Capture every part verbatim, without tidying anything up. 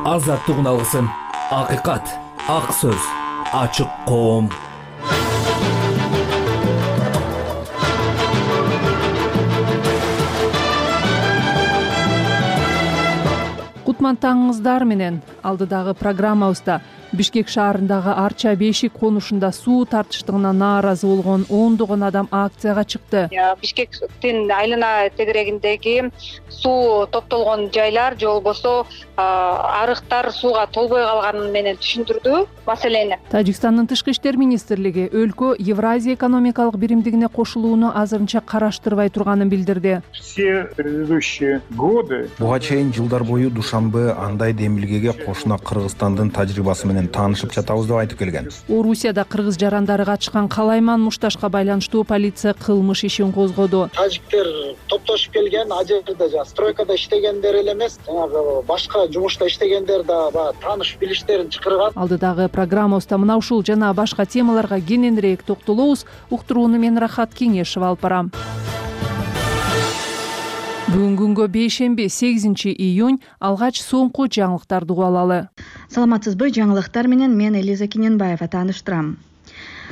Азаттыгын алгысың. Акыйкат, ак сөз, ачык коом. Кутман таңыңыздар менен алдыдагы программабызда Бишкек шаарындагы Арча Бешик конушунда суу тартыштыгына нааразы болгон ондогон адам акцияга чыкты. Бишкектин айлана тегерегиндеги суу топтолгон жайлар же болбосо арыктар сууга толбой калганы менен түшүндүрдү маселени. Тажикстандын тышкы иштер министрлиги өлкө Евразия экономикалык биримдигине кошулууну азырынча караштырбай турганын билдирди. Все предыдущие годы буга чейин жылдар бою Душанбе андай демилгеге кошуна Кыргызстандын тажрыйбасы менен таанышып жатабыз деп айтып келген. Орусияда кыргыз жарандары качкан калайман мушташка байланыштуу полиция кылмыш ишин козгоду. Тажиктер топтошуп келген, а жерде жана стройкада иштегендер эле эмес, жанагы башка жумушта иштегендер да баягы тааныш билиштерин чакырган. Алдыдагы программабызда мына ушул жана башка темаларга кененирээк токтолобуз. Уктурууну мен Рахат Кеңешева алып барам. Бүгүнкү күнгө бейшемби сегизинчи июнь алгач соңку жаңылыктарды угуп алалы. Саламатсызбы? Жаңылыктар менен мен Элиза Кененбаева тааныштырам.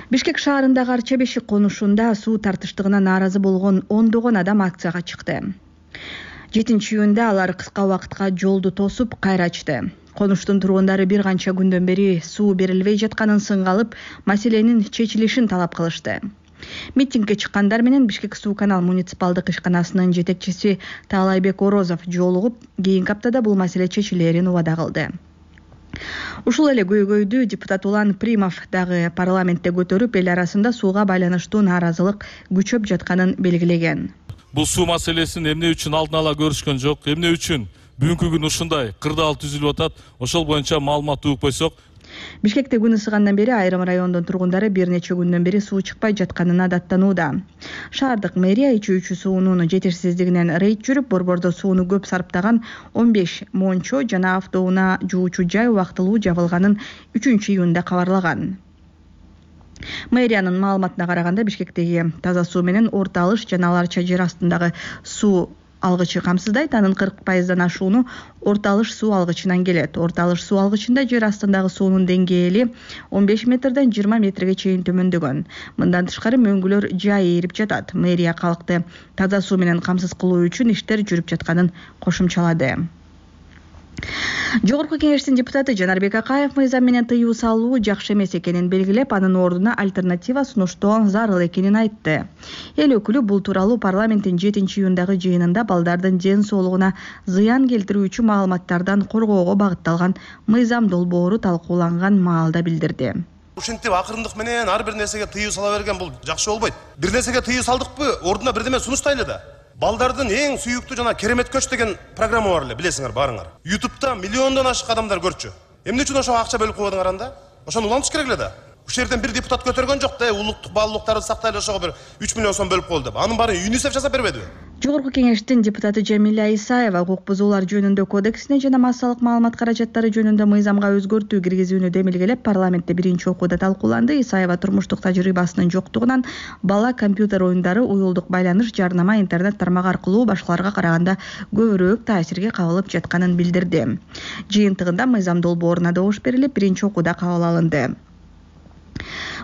Бишкек шаарындагы Арча Бешик конушунда суу тартыштыгына нааразы болгон ондогон адам акцияга чыкты. жетинчи июнда алар кыска убакытка жолду тосуп кайра ачты. Конуштун тургундары бир канча күндөн бери суу берилбей жатканын сынга алып, маселенин чечилишин талап кылышты. Митингге чыккандар менен Бишкек суу канал муниципалдык ишканасынын жетекчиси Таалайбек Орозов жолугуп, кийинки аптада бул маселе чечилерин убада кылды. Ушул эле көйгөйдү депутат Улан Примов дагы парламентте көтөрүп, эл арасында сууга байланыштуу нааразылык күчөп жатканын белгилеген. Бул суу маселесин эмне үчүн алдын ала көрүшкөн жок, эмне үчүн бүгүнкү күн ушундай кырдаал түзүлүп атат, ошол боюнча маалымат угуп койсок. Бишкекте күн ысыгандан бери айрым райондун тургундары бир нече күндөн бери суу чыкпай жатканына даттанууда. Шаардык мэрия ичүүчү суунун жетишсиздигинен рейд жүрүп, борбордо сууну көп сарптаган он беш мончо жана автоунаа жуучу жай убактылуу жабылганын үчүнчү июнда кабарлаган. Мэриянын маалыматына караганда, Бишкектеги таза суу менен орто алыш жана Арча жер астындагы суу алгычы камсыздайт. Анын кырк пайыздан ашууну орто алыш суу алгычынан келет. Орто алыш суу алгычында жер астындагы суунун деңгээли он беш метрден жыйырма метрге чейин төмөндөгөн. Мындан тышкары мөңгүлөр жай ээрип жатат. Мэрия калкты таза суу менен камсыз кылуу үчүн иштер жүрүп жатканын кошумчалады. Жогорку кеңештин депутаты Жанарбек Акаев мыйзам менен тыюу салуу жакшы эмес экенин белгилеп, анын ордуна альтернатива сунуштоо зарыл экенин айтты. Эл өкүлү бул тууралуу парламенттин жетинчи июндагы жыйынында балдардын ден соолугуна зыян келтирүүчү маалыматтардан коргоого багытталган мыйзам долбоору талкууланган маалда билдирди. Ушинтип акырындык менен ар бир нерсеге тыюу сала берген бул жакшы болбойт. Бир нерсеге тыюу салдыкпы, ордуна бирдеме сунуштайлы да. Балдардын эң сүйүктүү жана керемет көч деген программа бар эле, билесиңер баарыңар. Ютубта миллиондон ашык адамдар көрчү. Эмне үчүн ошого акча бөлүп койдуңар анда? Ошону улантыш керек эле да. Ушул жерден бир депутат көтөргөн жок да, улуттук баалуулуктарды сактайлы ошого бир үч миллион сом бөлүп коелу деп. Анын баарын ЮНИСЕФ жасап бербедиби? Жогорку кеңештин депутаты Жамиля Исаева укук бузуулар жөнүндө кодексине жана массалык маалымат каражаттары жөнүндө мыйзамга өзгөртүү киргизүүнү демилгелеп, парламентте биринчи окууда талкууланды. Исаева турмуштук тажрыйбасынын жоктугунан бала компьютер оюндары, уюлдук байланыш, жарнама, интернет тармагы аркылуу башкаларга караганда көбүрөөк таасирге кабылып жатканын билдирди. Жыйынтыгында мыйзам долбооруна добуш берилип, биринчи окууда кабыл алынды.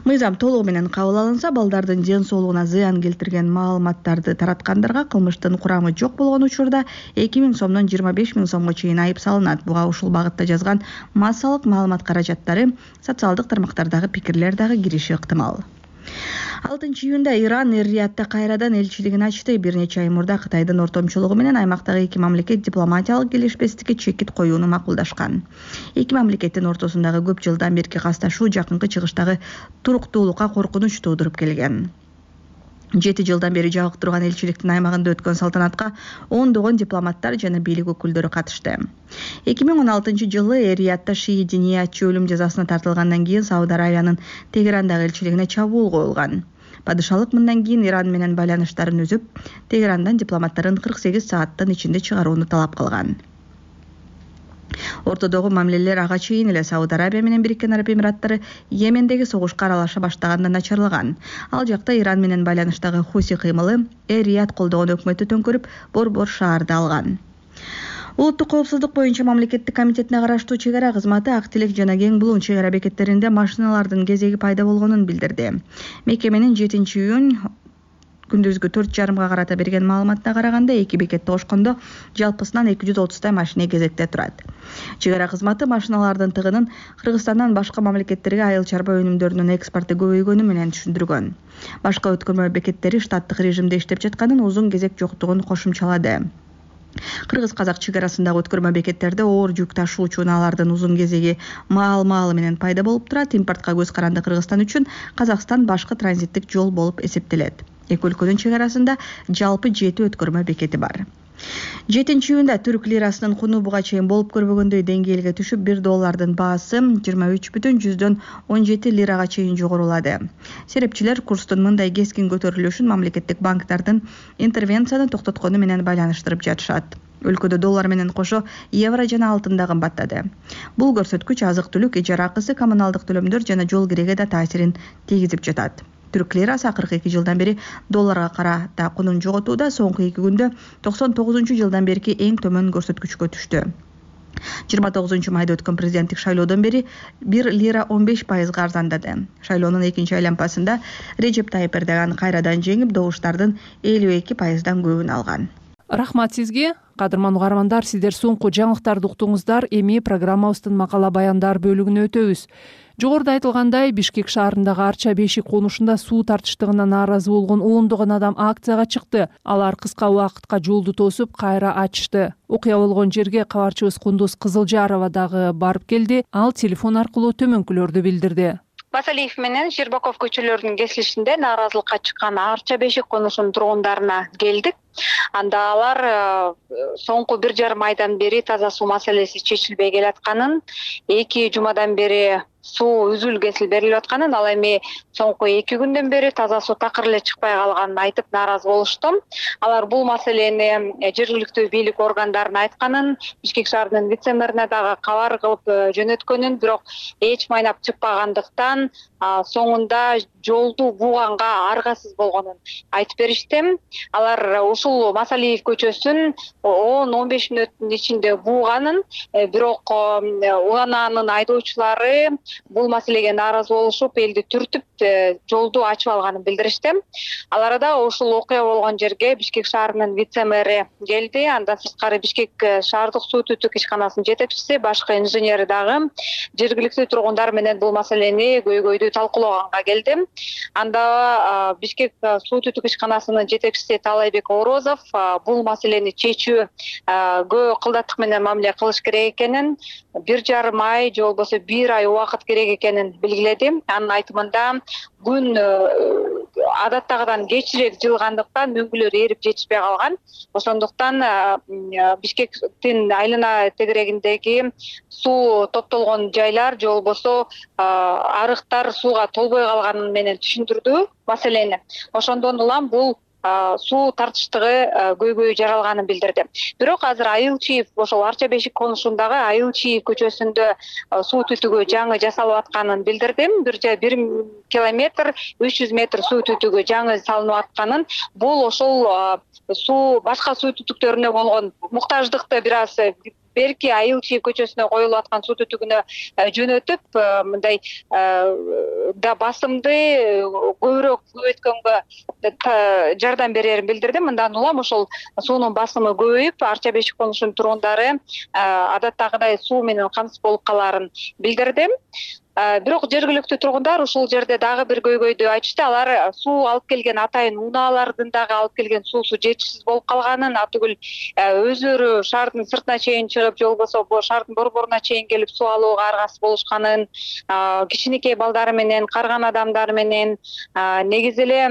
Мыйзам толугу менен кабыл алынса, балдардын ден соолугуна зыян келтирген маалыматтарды тараткандарга кылмыштын курамы жок болгон учурда эки миң сомдон жыйырма беш миң сомго чейин айып салынат. Буга ушул багытта жазган массалык маалымат каражаттары, социалдык тармактардагы пикирлер дагы кириши ыктымал. алтынчы июнда Иран Эр-Риядта кайрадан элчилигин ачты. Бир нече ай мурда Кытайдын ортомчулугу менен аймактагы эки мамлекет дипломатиялык келишпестикке чекит коюуну макулдашкан. Эки мамлекеттин ортосундагы көп жылдан берки касташуу жакынкы чыгыштагы туруктуулукка коркунуч туудуруп келген. жети жылдан бери жабык турган элчиликтин аймагында өткөн салтанатка ондогон дипломаттар жана бийлик өкүлдөрү катышты. эки миң он алтынчы жылы Эр-Риядта шии диниятчы өлүм жазасына тартылгандан кийин Сауд Аравиянын Тегерандагы элчилигине чабуул коюлган. Падышалык мындан кийин Иран менен байланыштарын үзүп, Тегерандан дипломаттарын кырк сегиз сааттын ичинде чыгарууну талап кылган. Ортодогу мамилелер ага чейин эле Сауд Арабия менен Бириккен Араб Эмираттары Йемендеги согушка аралаша баштаганда начарлаган. Ал жакта Иран менен байланыштагы Хуси кыймылы Эр-Рияд колдогон өкмөттү төңкөрүп, борбор шаарды алган. Улуттук коопсуздук боюнча мамлекеттик комитетине караштуу чек ара кызматы Ак Тилек жана Кең Булуң чек ара бекеттеринде машиналардын кезеги пайда болгонун билдирди. Мекеменин жетинчи июнь күндүзгү төрт жарымга карата берген маалыматына караганда эки бекетти кошкондо жалпысынан эки жүз отуздай машина кезекте турат. Чек ара кызматы машиналардын тыгынын Кыргызстандан башка мамлекеттерге айыл чарба өнүмдөрүнүн экспорту көбөйгөнү менен түшүндүргөн. Башка өткөрмө бекеттери штаттык режимде иштеп жатканын, узун кезек жоктугун кошумчалады. Кыргыз-казак чек арасындагы өткөрмө бекеттерде оор жүк ташуучу унаалардын узун кезеги маал-маалы менен пайда болуп турат. Импортко көз каранды Кыргызстан үчүн Казакстан башкы транзиттик жол болуп эсептелет. Эки өлкөнүн чек арасында жалпы жети өткөрмө бекети бар. жетинчи июнда түрк лирасынын куну буга чейин болуп көрбөгөндөй деңгээлге түшүп, бир доллардын баасы жыйырма үч бүтүн жүздөн он жети лирага чейин жогорулады. Серепчилер курстун мындай кескин көтөрүлүшүн мамлекеттик банктардын интервенцияны токтоткону менен байланыштырып жатышат. Өлкөдө доллар менен кошо евро жана алтын да кымбаттады. Бул көрсөткүч азык-түлүк, ижара акысы, коммуналдык төлөмдөр жана жол киреге да таасирин тийгизип жатат. Түрк лирасы акыркы эки жылдан бери долларга карата кунун жоготууда, соңку эки күндө токсон тогузунчу жылдан берки эң төмөн көрсөткүчкө түштү. жыйырма тогузунчу майда өткөн президенттик шайлоодон бери бир лира он беш пайызга арзандады. Шайлоонун экинчи айланпасында Режеп Тайып Эрдоган кайрадан жеңип, добуштардын элүү эки пайыздан көбүн алган. Рахмат сизге. Кадырман угармандар, сиздер соңку жаңылыктарды уктуңуздар. Эми программабыздын макала баяндар бөлүгүнө өтөбүз. Жогоруда айтылгандай, Бишкек шаарындагы Арча бешик конушунда суу тартыштыгына нааразы болгон ондогон адам акцияга чыкты. Алар кыска убакытка жолду тосуп, кайра ачышты. Окуя болгон жерге кабарчыбыз Кундуз Кызылжарова дагы барып келди. Ал телефон аркылуу төмөнкүлөрдү билдирди. Басалиев менен Щербаков көчөлөрүнүн кесилишинде нааразылыкка чыккан Арча бешик конушунун тургундарына келдик. Анда алар соңку бир жарым айдан бери таза суу маселеси чечилбей келатканын, эки жумадан бери суу үзүл кесил берилип атканын, ал эми соңку эки күндөн бери таза суу такыр эле чыкпай калганын айтып нааразы болушту. Алар бул маселени жергиликтүү бийлик органдарына айтканын, Бишкек шаарынын вице-мэрине дагы кабар кылып жөнөткөнүн, бирок эч майнап чыкпагандыктан соңунда жолду бууганга аргасыз болгонун айтып беришти. Алар ушул Масалиев көчөсүн он он беш мүнөттүн ичинде бууганын, бирок унаанын айдоочулары бул маселеге нааразы болушуп, элди түртүп, жолду ачып алганын билдиришти. Ал арада ушул окуя болгон жерге Бишкек шаарынын вице-мэри келди. Андан сырткары Бишкек шаардык суу түтүк ишканасынын жетекчиси, башкы инженери дагы жергиликтүү тургундар менен бул маселени көйгөйдү талкуулоганга келди. Анда Бишкек суу түтүк ишканасынын жетекчиси Талайбек Орозов бул маселени чечүү көп кылдаттык менен мамиле кылыш керек экенин, бир жарым ай же болбосо бир ай убакыт керек экенин белгиледи. Анын айтымында күн адаттагыдан кечирээк жылгандыктан мөңгүлөр эрип жетишпей калган. Ошондуктан Бишкектин айлана тегерегиндеги суу топтолгон жайлар же болбосо арыктар сууга толбой калганын менен түшүндүрдү маселени. Ошондон улам бул суу тартыштыгы көйгөй жаралганын билдирди. Бирок азыр Айылчиев, ошол Арча бешик конушундагы Айылчиев көчөсүндө суу түтүгү жаңы жасалып атканын билдирди. бир километр үч жүз метр суу түтүгү жаңы салынып атканын, бул ошол суу башка суу түтүктөрүнө болгон муктаждыкты бир аз берки Айылчиев көчөсүнө коюлуп аткан суу түтүгүнө жөнөтүп, мындай да басымды көбүрөөк көбөйткөнгө жардам берерин билдирди. Мындан улам ошол суунун басымы көбөйүп, Арча бешик конушунун тургундары адаттагыдай суу менен камсыз болуп калаарын билдирди. Бирок жергиликтүү тургундар ушул жерде дагы бир көйгөйдү айтышты. Алар суу алып келген атайын унаалардын дагы алып келген суусу жетишсиз болуп калганын, атүгүл өздөрү шаардын сыртына чейин чыгып, же болбосо бул шаардын борборуна чейин келип суу алууга аргасыз болушканын, кичинекей балдары менен, карган адамдар менен негизи эле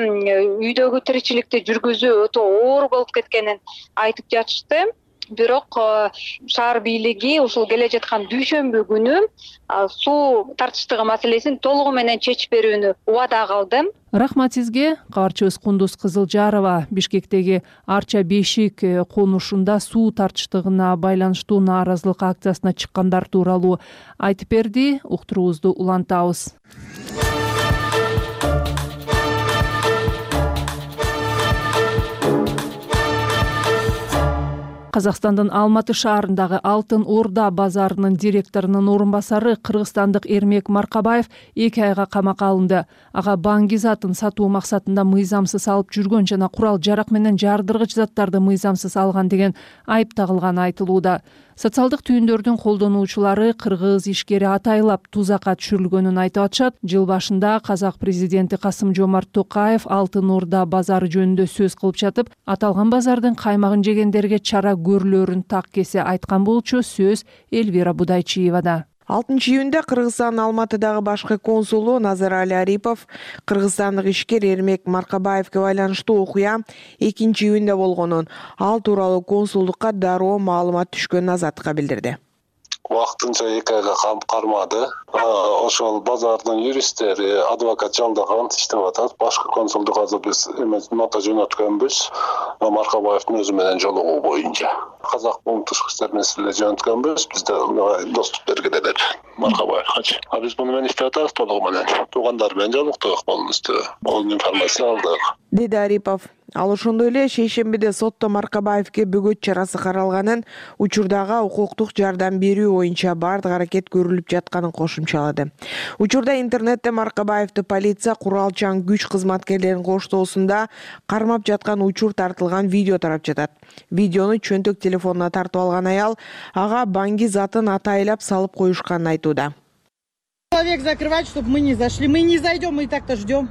үйдөгү тиричиликти жүргүзүү өтө оор болуп кеткенин айтып жатышты. Бирок шаар бийлиги ушул келе жаткан дүйшөмбү күнү суу тартыштыгы маселесин толугу менен чечип берүүнү убада кылды. Рахмат сизге. Кабарчыбыз Кундуз Кызылжарова Бишкектеги Арча бешик конушунда суу тартыштыгына байланыштуу нааразылык акциясына чыккандар тууралуу айтып берди. Уктуруубузду улантабыз. Казакстандын Алматы шаарындагы Алтын Орда базарынын директорунун орун басары кыргызстандык Эрмек Маркабаев эки айга камакка алынды. Ага банги затын сатуу максатында мыйзамсыз алып жүргөн жана курал жарак менен жардыргыч заттарды мыйзамсыз алган деген айып тагылганы айтылууда. Социалдык түйүндөрдүн колдонуучулары кыргыз ишкери атайлап тузакка түшүрүлгөнүн айтып атышат. Жыл башында казак президенти Касым-Жомарт Токаев Алтын Орда базары жөнүндө сөз кылып жатып, аталган базардын каймагын жегендерге чара көрүлөрүн так кесе айткан болчу. Сөз Элвира Будайчиевада. алтынчы июнда Кыргызстандын Алматыдагы башкы консулу Назарали Арипов кыргызстандык ишкер Эрмек Маркабаевге байланыштуу окуя экинчи июнда болгонун, ал тууралуу консулдукка дароо маалымат түшкөнүн азаттыкка билдирди. Вакытынча эки айга камап кармады. Ошол базардын юристтери, адвокат жалдаган иштеп атат. Башкы консулдук азыр биз нота жөнөткөнбүз. Маркабаевдин өзү менен жолугуу боюнча. Казак бум тышкы иштер маселелери жөнөткөнбүз. Бизде доступ бергиле Маркабаевга. А биз муну менен иштеп атабыз толугу менен. Туугандар менен жолуктук болмусту. Бул информация алдык. Деди Арипов. Ал ошондой эле шейшембиде сотто Маркабаевге бөгөт чарасы каралганын, учурдагы укуктук жардам берүү боюнча бардык аракет көрүлүп жатканын кошумчалады. Учурда интернетте Маркабаевди полиция куралчан күч кызматкерлеринин коштоосунда кармап жаткан учур тартылган видео тарап жатат. Видеону чөнтөк телефонуна тартып алган аял ага банги затын атайлап салып коюшканын айтууда. Человек закрывать, чтобы мы не зашли. Мы не зайдем, мы и так-то ждем.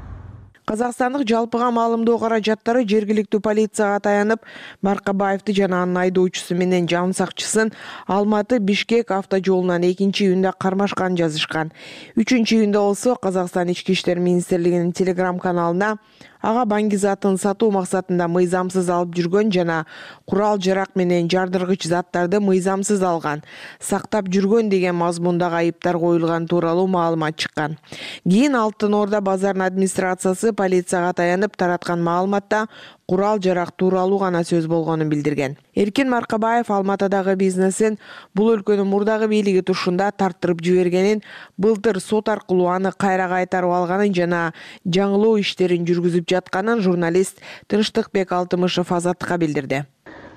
Казакстандык жалпыга маалымдоо каражаттары жергиликтүү полицияга таянып, Маркабаевди жана анын айдоочусу менен жан сакчысын Алматы-Бишкек автожолунан экинчи июнда кармашканын жазышкан. үчүнчү июнда болсо Казакстан ички иштер министрлигинин телеграм каналына ага банги затын сатуу максатында мыйзамсыз алып жүргөн жана курал жарак менен жардыргыч заттарды мыйзамсыз алган, сактап жүргөн деген мазмундагы айыптар коюлган тууралуу маалымат чыккан. Кийин Алтын Орда базарынын администрациясы полицияга таянып тараткан маалыматта курал жарак тууралуу гана сөз болгонун билдирген. Эркин Маркабаев Алматыдагы бизнесин бул өлкөнүн мурдагы бийлиги тушунда тарттырып жибергенин, былтыр сот аркылуу аны кайра кайтарып алганын жана жаңылоо иштерин жүргүзүп жатканын журналист Тынчтыкбек Алтымышев Азаттыкка билдирди.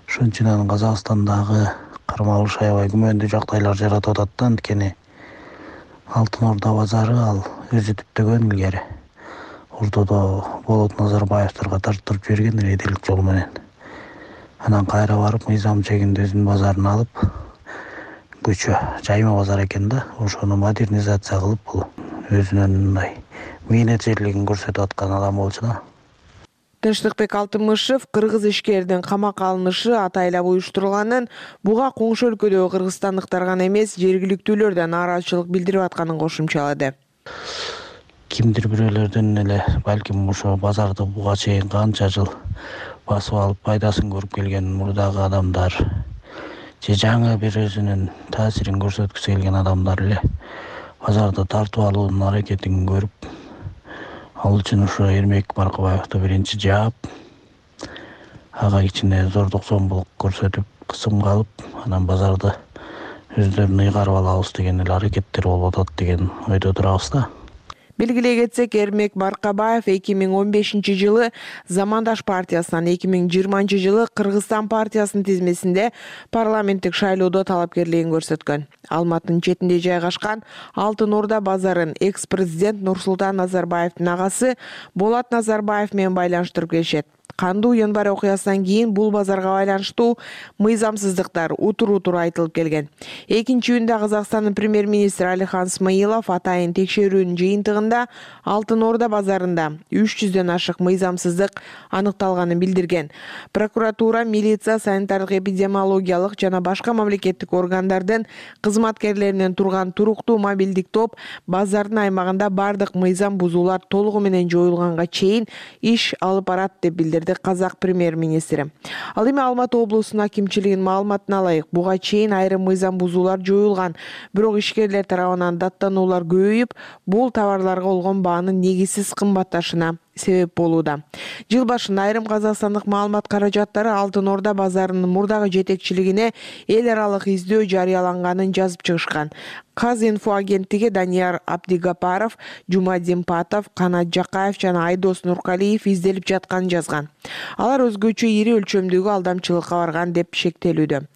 Ошон үчүн Казакстандагы кармалыш аябай күмөндүү жагдайлар жаратып атат да, анткени Алтын Орда базары ал өзү түптөгөн илгери Ордодо Болот Назарбаевтерге тарттырып жиберген редилик жол менен. Анан кайра барып мыйзам чегинде өзүнүн базарын алып, көчө жайма базар экен да, ошону модернизация кылып бул өзүнүн мындай мээнеджерлигин көрсөтүп аткан адам болчу да. Тынчтыкбек Алтымышев кыргыз ишкердин камакка алынышы атайлап уюштурулганын, буга коңшу өлкөдөгү кыргызстандыктар гана эмес, жергиликтүүлөр да нааразычылык билдирип атканын кошумчалады. Кимдир бирөөлөрдөн эле балким ошо базарды буга чейин канча жыл басып алып пайдасын көрүп келген мурдагы адамдар же жаңы бир өзүнүн таасирин көрсөткүсү келген адамдар эле базарды тартып алуунун аракетин көрүп, ал үчүн ошо Эрмек Маркабаевди биринчи жаап, ага кичине зордук зомбулук көрсөтүп, кысымга алып, анан базарды өздөрүнө ыйгарып алабыз деген эле аракеттер болуп атат деген ойдо турабыз да. Белгилей кетсек, Эрмек Маркабаев эки миң он бешинчи жылы Замандаш партиясынан, эки миң жыйырманчы жылы Кыргызстан партиясынын тизмесинде парламенттик шайлоодо талапкерлигин көрсөткөн. Алматынын четинде жайгашкан Алтын Орда базарын экс-президент Нурсултан Назарбаевдин агасы Болот Назарбаев менен байланыштырып келишет. Кандуу январь окуясынан кийин бул базарга байланыштуу мыйзамсыздыктар утур-утур айтылып келген. экинчи июнда Казакстандын премьер-министри Алихан Смаилов атайын текшерүүнүн жыйынтыгында Алтын Орда базарында үч жүздөн ашык мыйзамсыздык аныкталганын билдирген. Прокуратура, милиция, санитардык эпидемиологиялык жана башка мамлекеттик органдардын кызматкерлеринен турган туруктуу мобилдик топ базардын аймагында бардык мыйзам бузуулар толугу менен жоюлганга чейин иш алып барат деп билдирди Казак премьер-министри. Ал эми Алматы облусунун акимчилигинин маалыматына ылайык, буга чейин айрым мыйзам бузуулар жоюлган, бирок ишкерлер тарабынан даттануулар көбөйүп, бул товарларга болгон баанын негизсиз кымбатташына себеп болууда. Жыл башында айрым казакстандык маалымат каражаттары Алтын Орда базарынын мурдагы жетекчилигине эл аралык издөө жарыяланганын жазып чыгышкан. Казинфо агенттиги Данияр Абдигапаров, Жумадин Патов, Канат Жакаев жана Айдос Нуркалиев изделип жатканын жазган. Алар өзгөчө ири өлчөмдөгү алдамчылыкка барган деп шектелүүдө.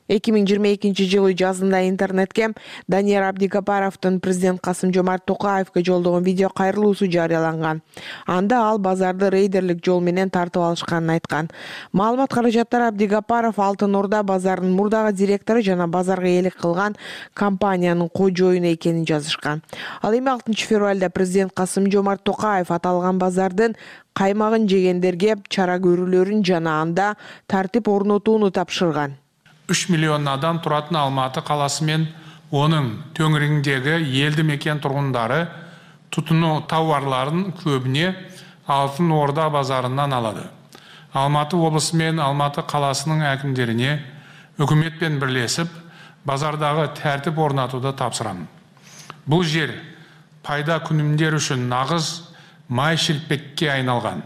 эки миң жыйырма экинчи жылы жазында интернетке Данияр Абдигапаровдун президент Касым Жомарт Токаевге жолдогон видео кайрылуусу жарыяланган. Анда ал базарды рейдерлик жол менен тартып алышканын айткан. Маалымат каражаттары Абдигапаров Алтын Орда базарынын мурдагы директору жана базарга ээлик кылган компаниянын кожоюну экенин жазышкан. Ал эми алтынчы февралда президент Касым Жомарт Токаев аталган базардын каймагын жегендерге чара көрүүлөрүн жана анда тартип орнотууну тапшырган. үч миллион адам туратын Алматы каласы мен onun төңірегіндегі елді мекен тұрғындары тұтыну тауарларын көбіне Алтын Орда базарынан алады. Алматы облысы мен Алматы қаласының әкімдеріне үкіметпен бірлесіп базардағы тәртіп орнатуды тапсырамын. Бұл жер пайда күнімдер үшін нағыз май шелпекке айналған.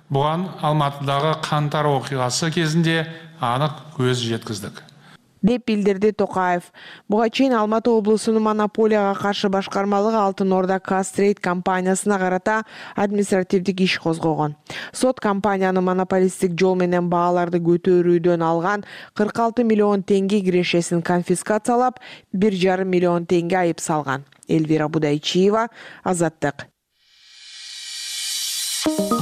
Бұған Алматыдағы қаңтар оқиғасы кезінде анық көз жеткіздік. деп билдирди Токаев. Буга чейин Алматы облусунун монополияга каршы башкармалыгы Алтын Орда Кастрейт компаниясына карата административдик иш козгогон. Сот компаниянын монополисттик жол менен бааларды көтөрүүдөн алган кырк алты миллион теңге кирешесин конфискациялап, бир жарым миллион теңге айып салган. Элвира Будайчиева, Азаттык.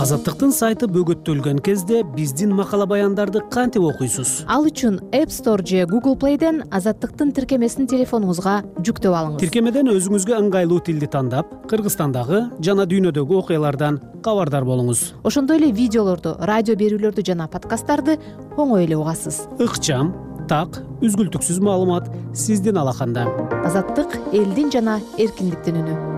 Азаттыктын сайты бөгөттөлгөн кезде биздин макала баяндарды кантип окуйсуз? Ал үчүн App Store же Google Play'ден Азаттыктын тиркемесин телефонуңузга жүктөп алыңыз. Тиркемеден өзүңүзгө ыңгайлуу тилди тандап, Кыргызстандагы жана дүйнөдөгү окуялардан кабардар болуңуз. Ошондой эле видеолорду, радио берүүлөрдү жана подкасттарды оңой эле угасыз. Ыкчам, так, үзгүлтүксүз маалымат сиздин алаканда. Азаттык элдин жана эркиндиктин үнү.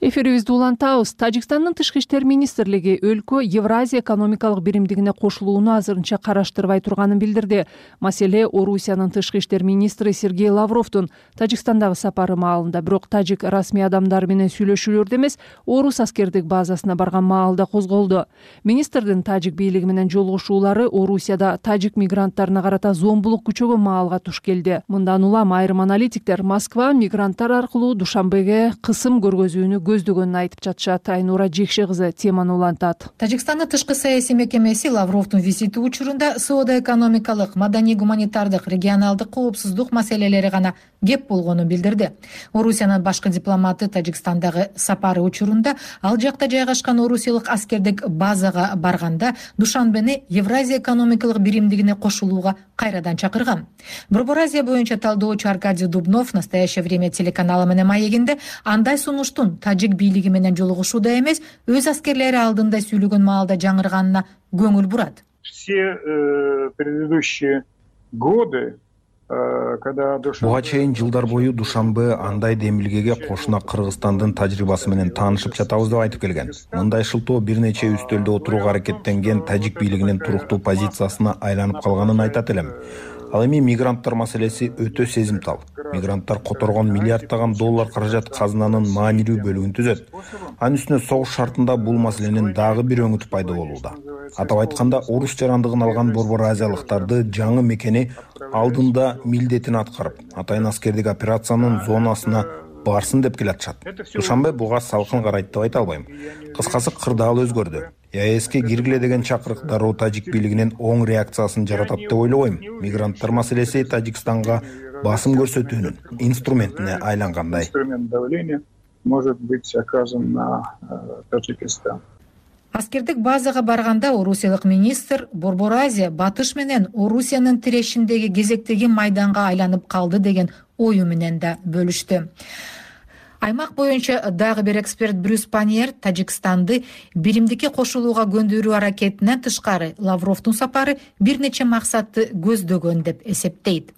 Эфирибизди улантабыз. Тажикстандын тышкы иштер министрлиги өлкө Евразия экономикалык биримдигине кошулууну азырынча караштырбай турганын билдирди. Маселе Орусиянын тышкы иштер министри Сергей Лавровдун Тажикстандагы сапары маалында, бирок тажик расмий адамдары менен сүйлөшүүлөрдө эмес, орус аскердик базасына барган маалда козголду. Министрдин тажик бийлиги менен жолугушуулары Орусияда тажик мигранттарына карата зомбулук күчөгөн маалга туш келди. Мындан улам айрым аналитиктер Москва мигранттар аркылуу Душанбеге кысым көргөзүүнү көздөгөнүн айтып жатышат. Айнура Жекше кызы теманы улантат. Тажикстандын тышкы саясий мекемеси Лавровдун визити учурунда соода-экономикалык, маданий-гуманитардык, регионалдык коопсуздук маселелери гана кеп болгонун билдирди. Орусиянын башкы дипломаты Тажикстандагы сапары учурунда ал жакта жайгашкан орусиялык аскердик базага барганда Душанбени Евразия экономикалык биримдигине кошулууга кайрадан чакырган. Борбор Азия боюнча талдоочу Аркадий Дубнов в настоящее время телеканалы менен маегинде андай сунуштун тажик бийлиги менен жолугушууда эмес, өз аскерлери алдында сүйлөгөн маалда жаңырганына көңүл бурат. Все предыдущие годы Буга чейин жылдар бою Душанбе андай демилгеге кошуна Кыргызстандын тажрыйбасы менен таанышып жатабыз деп айтып келген. Мындай шылтоо бир нече үстөлдө отурууга аракеттенген тажик бийлигинин туруктуу позициясына айланып калганын айтат элем. Ал эми мигранттар маселеси өтө сезимтал. Мигранттар которгон миллиарддаган доллар каражат казынанын маанилүү бөлүгүн түзөт. Анын үстүнө согуш шартында бул маселенин дагы бир өңүтү пайда болууда. Атап айтканда, орус жарандыгын алган борбор азиялыктарды жаңы мекени алдында милдетин аткарып, атайын аскердик операциянын зонасына барсын деп келатышат. Душанбе буга салкын карайт деп айта албайм. Кыскасы кырдаал өзгөрдү. ЕАЭСке киргиле деген чакырык дароо тажик бийлигинин оң реакциясын жаратат деп ойлобойм. Мигранттар маселеси Тажикстанга басым көрсөтүүнүн инструментине айлангандай. Инструмент давления может быть оказан на Таджикистан. Аскердик базага барганда орусиялык министр Борбор Азия батыш менен Орусиянын тирешиндеги кезектеги майданга айланып калды деген ою менен да бөлүштү. Аймак боюнча дагы бир эксперт Брюс Паньер Тажикстанды биримдикке кошулууга көндүрүү аракетинен тышкары Лавровдун сапары бир нече максатты көздөгөн деп эсептейт.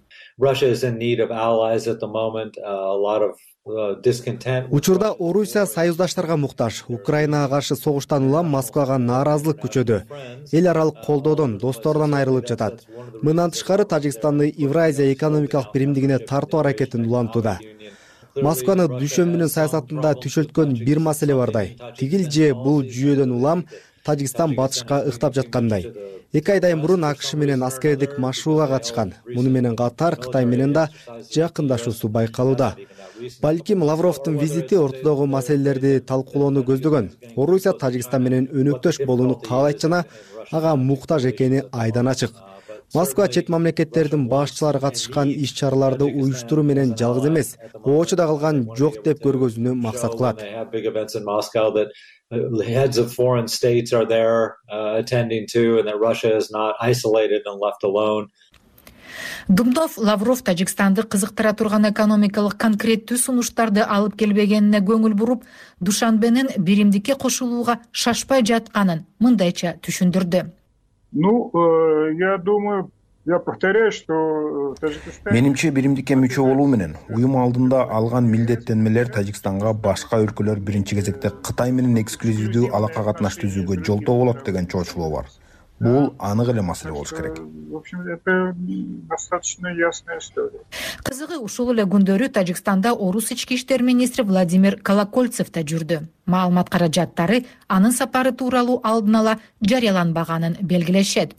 Учурда Орусия союздаштарга муктаж. Украинага каршы согуштан улам Москвага нааразылык күчөдү. Эл аралык колдоодон, достордон айрылып жатат. Мындан тышкары Тажикстанды Евразия экономикалык биримдигине тартуу аракетин улантууда. Москваны дүйшөмбүнүн саясатында түшөлткөн бир маселе бардай. Тигил же бул жүйөдөн улам Тажикстан батышка ыктап жаткандай. Эки айдан мурун АКШ менен аскердик машыгууга катышкан. Муну менен катар Кытай менен да жакындашуусу байкалууда. Балким Лавровдун визити ортодогу маселелерди талкуулоону көздөгөн. Орусия Тажикстан менен өнөктөш болууну каалайт жана ага муктаж экени айдан ачык. Москва чет мамлекеттердин башчылары катышкан иш-чараларды уюштуруу менен жалгыз эмес, очуда калган жок деп көргөзүүнү максат кылат. Heads of foreign states are there uh, attending to, and that Russia is not isolated and left alone. Думдов Лавров Тажикстанды кызыктыра турган экономикалык конкреттүү сунуштарды алып келбегенине көңүл буруп, Душанбенин биримдикке кошулууга шашпай жатканын мындайча түшүндүрдү. Ну, я думаю, я повторяю, что Тажикстан... Менимче биримдикке мүчө болуу менен уюм алдында алган милдеттенмелер Тажикстанга башка өлкөлөр биринчи кезекте Кытай менен эксклюзивдүү алака катнаш түзүүгө жолтоо болот деген чоочулоо бар. Бул анык эле маселе болуш керек. В общем, это достаточно ясная история. Кызыгы ушул эле күндөрү Тажикстанда Орус ички иштер министри Владимир Колокольцев да жүрдү. Маалымат каражаттары анын сапары тууралуу алдын ала жарыяланбаганын белгилешет.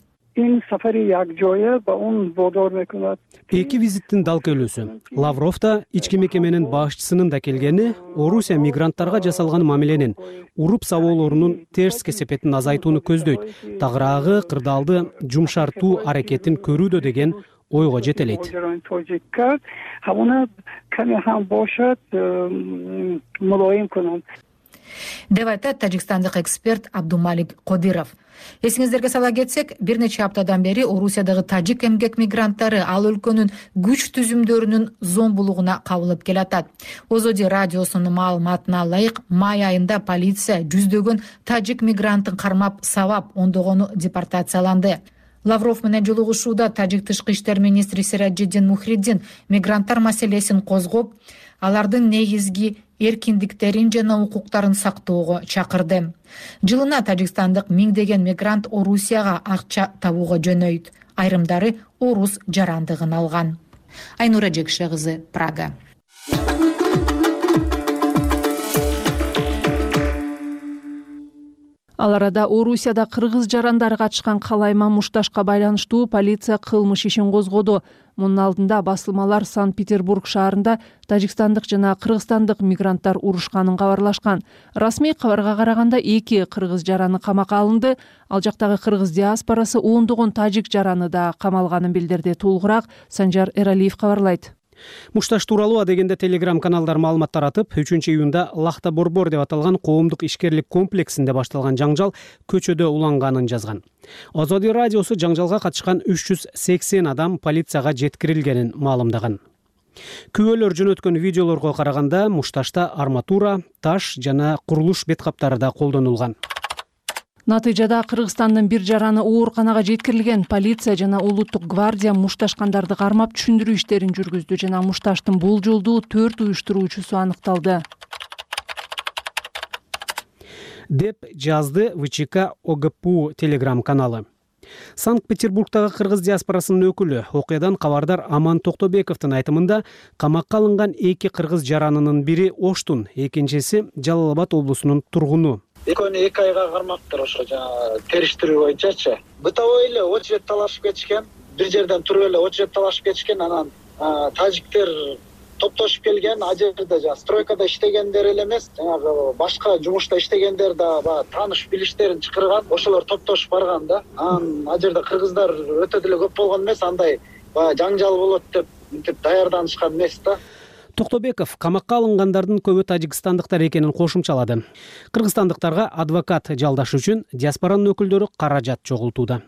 Эки визиттин далкөлүүсү. Лавров да ички мекеменин башчысынын да келгени Орусия мигранттарга жасалган мамиленин, уруп сабоолорунун терс кесепетин азайтууну көздөйт. Тагыраагы кырдаалды жумшартуу аракетин көрүүдө деген ойго жетелейт. Деп айтат тажикстандык эксперт Абдумалик Кодиров. Эсиңиздерге сала кетсек, бир нече аптадан бери Орусиядагы тажик эмгек мигранттары ал өлкөнүн күч түзүмдөрүнүн зомбулугуна кабылып келатат. Озоди радиосунун маалыматына ылайык, май айында полиция жүздөгөн тажик мигранттын кармап сабап, ондогону депортацияланды. Лавров менен жолугушууда тажик тышкы иштер министри Сираджиддин Мухриддин мигранттар маселесин козгоп, алардын негизги эркиндиктерин жана укуктарын сактоого чакырды. Жылына тажикстандык миңдеген мигрант Орусияга акча табууга жөнөйт. Айрымдары орус жарандыгын алган. Айнура Жекше кызы, Прага. Ал арада Орусияда кыргыз жарандары катышкан калайма мушташка байланыштуу полиция кылмыш ишин козгоду. Мунун алдында басылмалар Санкт-Петербург шаарында тажикстандык жана кыргызстандык мигранттар урушканын кабарлашкан. Расмий кабарга караганда эки кыргыз жараны камакка алынды. Ал жактагы кыргыз диаспорасы ондогон тажик жараны да камалганын билдирди. Толугураак Санжар Эралиев кабарлайт. Мушташ тууралуу адегенде телеграм каналдар маалымат таратып, үчүнчү июнда Лахта Борбор деп аталган коомдук ишкерлик комплексинде башталган жаңжал көчөдө уланганын жазган. Озоди радиосу жаңжалга катышкан үч жүз сексен адам полицияга жеткирилгенин маалымдаган. Күбөлөр жөнөткөн видеолорго караганда мушташта арматура, таш жана курулуш бет каптары да колдонулган. Натыйжада Кыргызстандын бир жараны ооруканага жеткирилген. Полиция жана улуттук гвардия мушташкандарды кармап түшүндүрүү иштерин жүргүздү жана мушташтын бул жолду төрт уюштуруучусу аныкталды. Деп жазды ВЧК ОГПУ телеграм каналы. Санкт-Петербургдагы кыргыз диаспорасынын өкүлү, окуядан кабардар Аман Токтобековдун айтымында, камакка алынган эки кыргыз жаранынын бири Оштун, экинчиси Жалал Абад облусунун тургуну. Экөөнү эки айга кармаптыр ошо жана териштирүү боюнчачы. Бытовой эле очеред талашып кетишкен, бир жерден туруп эле очеред талашып кетишкен, анан тажиктер топтошуп келген, а жерде жана стройкада иштегендер эле эмес, жанагы башка жумушта иштегендер да баягы тааныш билиштерин чакырган, ошолор топтошуп барган да. Анан а жерде кыргыздар өтө деле көп болгон эмес, андай баягы жаңжал болот деп мынтип даярданышкан эмес да. Токтобеков камакка алынгандардын көбү тажикстандыктар экенин кошумчалады. Кыргызстандыктарга адвокат жалдаш үчүн диаспоранын өкүлдөрү каражат чогултууда.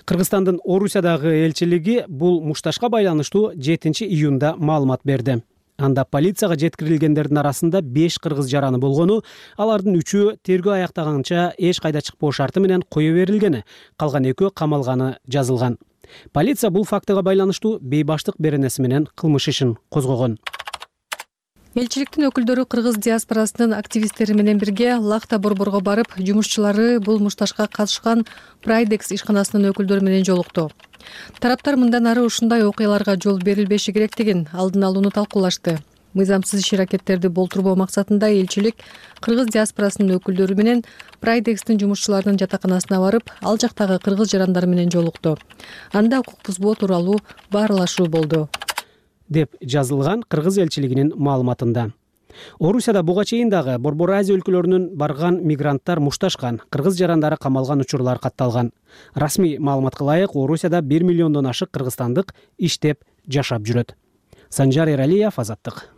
Кыргызстандын Орусиядагы элчилиги бул мушташка байланыштуу жетинчи июнда маалымат берди. Анда полицияга жеткирилгендердин арасында беш кыргыз жараны болгону, алардын үчөө тергөө аяктаганча эч кайда чыкпоо шарты менен кое берилгени, калган экөө камалганы жазылган. Полиция бул фактыга байланыштуу бейбаштык беренеси менен кылмыш ишин козгогон. Элчиликтин өкүлдөрү кыргыз диаспорасынын активисттери менен бирге Лахта Борборго барып, жумушчулары бул мушташка катышкан Прайдекс ишканасынын өкүлдөрү менен жолукту. Тараптар мындан ары ушундай окуяларга жол берилбеши керектигин алдын алууну талкуулашты. Мыйзамсыз иш аракеттерди болтурбоо максатында элчилик кыргыз диаспорасынын өкүлдөрү менен Прайдекстин жумушчуларынын жатаканасына барып, ал жактагы кыргыз жарандары менен жолукту. Анда укук бузбоо тууралуу баарлашуу болду, деп жазылган кыргыз элчилигинин маалыматында. Орусияда буга чейин дагы Борбор Азия өлкөлөрүнөн барган мигранттар мушташкан, кыргыз жарандары камалган учурлар катталган. Расмий маалыматка ылайык, Орусияда бир миллиондон ашык кыргызстандык иштеп, жашап жүрөт. Санжар Эралиев, Азаттык.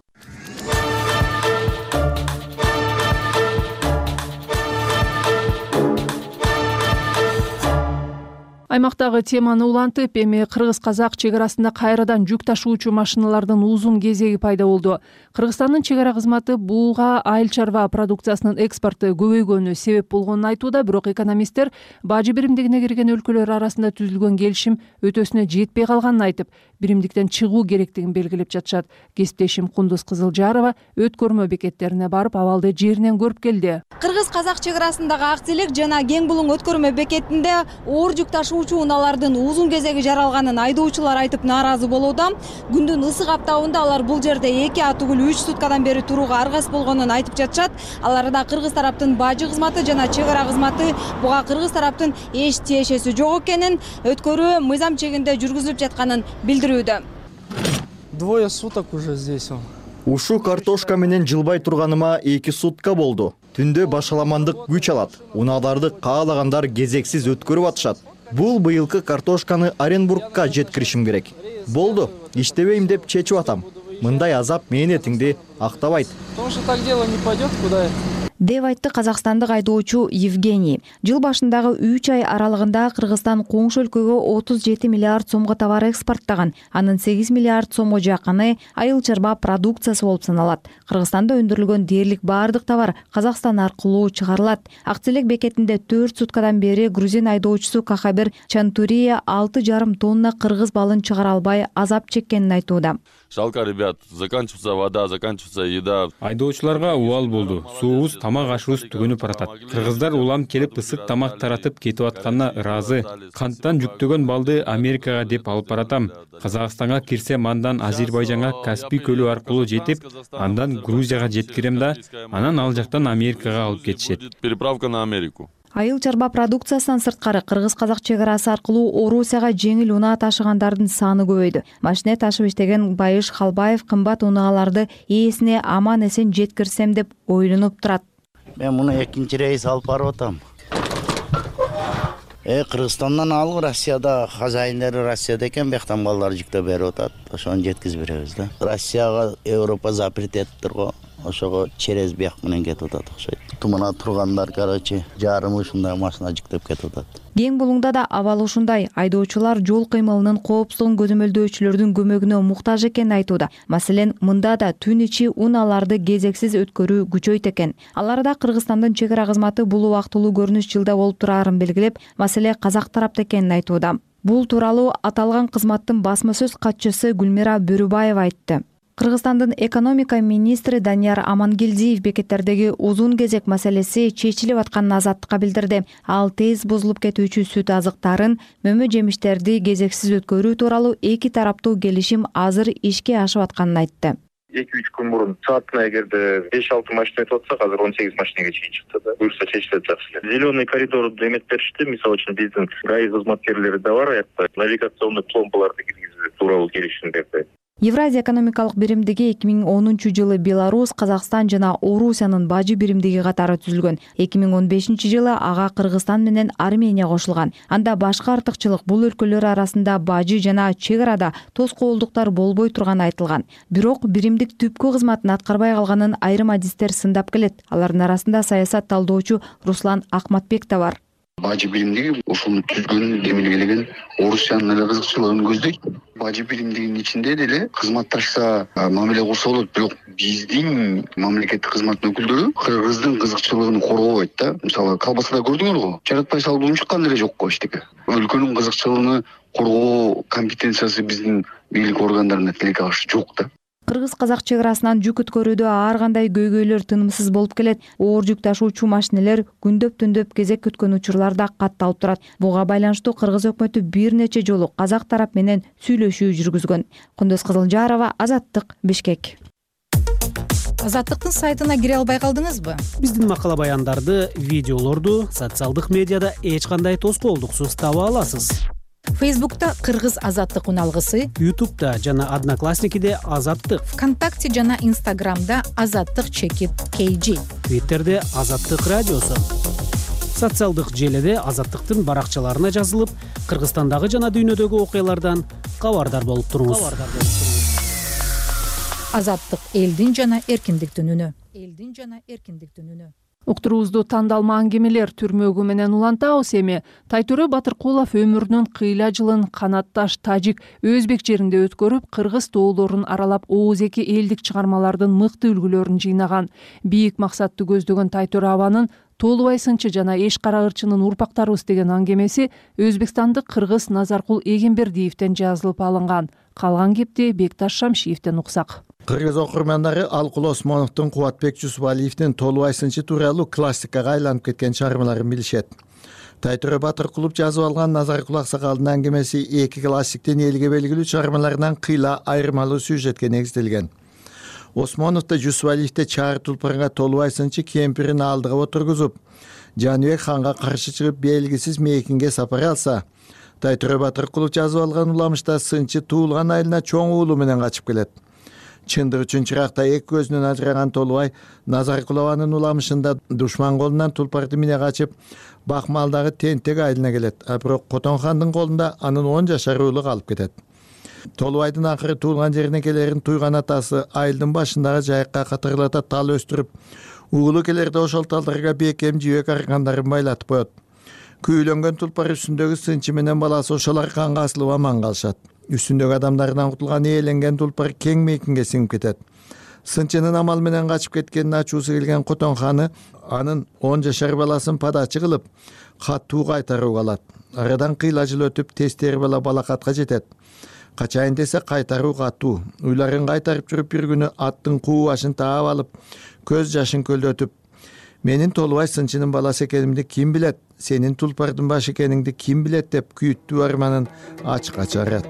Аймактагы теманы улантып, эми кыргыз-казак чек арасында кайрадан жүк ташуучу машиналардын узун кезеги пайда болду. Кыргызстандын чек ара кызматы буга айыл чарба продукциясынын экспорту көбөйгөнү себеп болгонун айтууда, бирок экономисттер бажы биримдигине кирген өлкөлөр арасында түзүлгөн келишим өтөсүнө жетпей калганын айтып, биримдиктен чыгуу керектигин белгилеп жатышат. Кесиптешим Кундуз Кызылжарова өткөрмө бекеттерине барып, абалды жеринен көрүп келди. Кыргыз-казак чек арасындагы Акселек жана Кең Булуң өткөрмө бекетинде оор жүк ташуучу унаалардын узун кезеги жаралганын айдоочулар айтып нааразы болууда. Күндүн ысык аптабында алар бул жерде эки а түгүл үч суткадан бери турууга аргасыз болгонун айтып жатышат. Аларда кыргыз тараптын бажы кызматы жана чек ара кызматы буга кыргыз тараптын эч тиешеси жок экенин, өткөрүү мыйзам чегинде жүргүзүлүп жатканын билдирүүдө. Двое суток уже здесь. Ушу картошка менен жылбай турганыма эки сутка болду. Түндө башаламандык күч алат. Унааларды каалагандар кезексиз өткөрүп атышат. Бул быйылкы картошканы Оренбургка жеткиришим керек. Болду, иштебейм деп чечип атам. Мындай азап мээнетиңди актабайт. Потому что так дело не пойдет куда. деп айтты казакстандык айдоочу Евгений. Жыл башындагы үч ай аралыгында Кыргызстан коңшу өлкөгө отуз жети миллиард сомго товар экспорттаган. Анын сегиз миллиард сомго жакыны айыл чарба продукциясы болуп саналат. Кыргызстанда өндүрүлгөн дээрлик баардык товар Казакстан аркылуу чыгарылат. Акселек бекетинде төрт суткадан бери грузин айдоочусу Кахабер Чантурия алты жарым тонна кыргыз балын чыгара албай азап чеккенин айтууда. Жалко, ребят, заканчивается вода, заканчивается еда. Айдоочуларга убал болду. Суубуз, тамак ашыбыз түгөнүп баратат. Кыргыздар улам келип ысык тамак таратып кетип атканына ыраазы. Канттан жүктөгөн балды Америкага деп алып баратам. Казакстанга кирсем, андан Азербайжанга Каспий көлү аркылуу жетип, андан Грузияга жеткирем да, анан ал жактан Америкага алып кетишет. Переправка на Америку. Айыл чарба продукциясынан сырткары кыргыз-казак чек арасы аркылуу Орусияга жеңил унаа ташыгандардын саны көбөйдү. Машина ташып иштеген Байыш Халбаев кымбат унааларды ээсине аман эсен жеткирсем деп ойлонуп турат. Мен муну экинчи рейс алып барып атам. Э Кыргызстандан алып Россияда хозяиндери Россияда экен, бияктан балдар жүктөп берип атат. Ошону жеткизип беребиз да. Россияга Европа запрет этиптир го. Ошого через бияк менен кетип атат окшойт. Тумана тургандар, короче, жарым ушундай машина жүктөп кетип атат. Кең Булуңда да абал ушундай. Айдоочулар жол кыймылынын коопсуздугун көзөмөлдөөчүлөрдүн көмөгүнө муктаж экенин айтууда. Маселен, мында да түн ичи унааларды кезексиз өткөрүү күчөйт экен. Аларда Кыргызстандын чек ара кызматы бул убактылуу көрүнүш жылда болуп турарын белгилеп, маселе казак тарапта экенин айтууда. Бул тууралуу аталган кызматтын басма сөз катчысы Гүлмира Бөрүбаева айтты. Кыргызстандын экономика министри Данияр Амангелдиев бекеттердеги узун кезек маселеси чечилип атканын Азаттыкка билдирди. Ал тез бузулуп кетүүчү сүт азыктарын, мөмө жемиштерди кезексиз өткөрүү тууралуу эки тараптуу келишим азыр ишке ашып атканын айтты. эки үч күн мурун саатына эгерде беш алты машина өтүп атса, азыр он сегиз машинага чейин чыкты да. Буюрса чечилет жакшы эле. Зеленый коридорду эметип беришти. Мисалы үчүн биздин ГАИ кызматкерлери да бар, аякта навигационный пломбаларды киргизүү тууралуу келишим берди. Евразия экономикалык биримдиги эки миң онунчу жылы Беларусь, Казакстан жана Орусиянын бажы биримдиги катары түзүлгөн. эки миң он бешинчи жылы ага Кыргызстан менен Армения кошулган. Анда башка артыкчылык бул өлкөлөр арасында бажы жана чек арада тоскоолдуктар болбой турганы айтылган. Бирок биримдик түпкү кызматын аткарбай калганын айрым адистер сындап келет. Алардын арасында саясат талдоочу Руслан Акматбек да бар. Бажы биримдиги ушуну түзгөн, демилгелеген Орусиянын эле кызыкчылыгын көздөйт. Бажы биримдигинин ичинде деле кызматташса мамиле курса болот, бирок биздин мамлекеттик кызмат өкүлдөрү кыргыздын кызыкчылыгын коргобойт да. Мисалы, колбасада көрдүңөр го, жаратпай салып чыккан деле жок го эчтеке. Өлкөнүн кызыкчылыгын коргоо компетенциясы биздин бийлик органдарында тилекке каршы жок да. Кыргыз-казак чек арасынан жүк өткөрүүдө ар кандай көйгөйлөр тынымсыз болуп келет. Оор жүк ташуучу машинелер күндөп-түндөп кезек күткөн учурлар да катталып турат. Буга байланыштуу Кыргыз өкмөтү бир нече жолу казак тарап менен сүйлөшүү жүргүзгөн. Кундуз Кызылжарова, Азаттык, Бишкек. Азаттыктын сайтына кире албай калдыңызбы? Биздин макала баяндарды, видеолорду социалдык медиада эч кандай тоскоолдуксуз таба аласыз. Фейсбукта Кыргыз азаттык уналгысы, Ютубта жана Одноклассникиде Азаттык, ВКонтакте жана Инстаграмда Азаттык чекит кей жи, Твиттерде Азаттык радиосу. Социалдык желиде Азаттыктын баракчаларына жазылып, Кыргызстандагы жана дүйнөдөгү окуялардан кабардар болуп туруңуз. Азаттык элдин жана эркиндиктин үнү. Элдин жана эркиндиктин үнү. Уктуруубузду тандалма аңгемелер түрмөгү менен улантабыз. Эми Тайтөрө Батыркулов өмүрүнүн кыйла жылын канатташ тажик, өзбек жеринде өткөрүп, кыргыз тоолорун аралап, ооз-эки элдик чыгармалардын мыкты үлгүлөрүн жыйнаган. Бийик максатты көздөгөн Тайтөрө абанын Толубай сынчы жана Эш кара ырчынын урпактарыбыз деген аңгемеси өзбекстандык кыргыз Назаркул Эгембердиевден жазылып алынган. Калган кепти Бекташ Шамшиевден уксак. Кыргыз окурмандары Алкул Осмоновдун, Кубатбек Жусупалиевдин Толубай сынчы тууралуу классикага айланып кеткен чыгармаларын билишет. Тайтөрө Батыркулов жазып алган Назаркул Аксакалдын аңгемеси эки классиктин элге белгилүү чыгармаларынан кыйла айырмалуу сюжетке негизделген. Осмоновдо Жусупалиевде чаар тулпарга Толубай сынчы кемпирин алдыга отургузуп, Жаныбек ханга каршы чыгып белгисиз мейкинге сапар алса, Тайтөрө Батыркулов жазып алган уламышта сынчы туулган айылына чоң уулу менен качып келет. Чындык үчүн чыракта эки көзүнөн ажыраган Толубай Назаркулованын уламышында душман колунан тулпарды мине качып, Бакмалдагы тентек айылына келет. А бирок Котон хандын колунда анын он жашар уулу калып кетет. Толубайдын акыры туулган жерине келерин туйган атасы айылдын башындагы жайыкка катырлата тал өстүрүп, уулу келерде ошол талдарга бекем жибек аркандарын байлатып коет. Күйүлөнгөн тулпар үстүндөгү сынчы менен баласы ошол арканга асылып аман калышат. Үстүндөгү адамдардан кутулган ээленген тулпар кең мейкинге сиңип кетет. Сынчынын амал менен качып кеткенин ачуусу келген Котон ханы анын он жашар баласын падачы кылып, каттуу кайтарууга алат. Арадан кыйла жыл өтүп, тестери бала балакатка жетет. Качайын десе кайтаруу каттуу. Уйларын кайтарып жүрүп бир күнү аттын куу башын таап алып, көз жашын көлдөтүп, менин Толубай сынчынын баласы экенимди ким билет, сенин тулпардын башы экениңди ким билет деп күйүттүү арманын ачыкка чыгарат.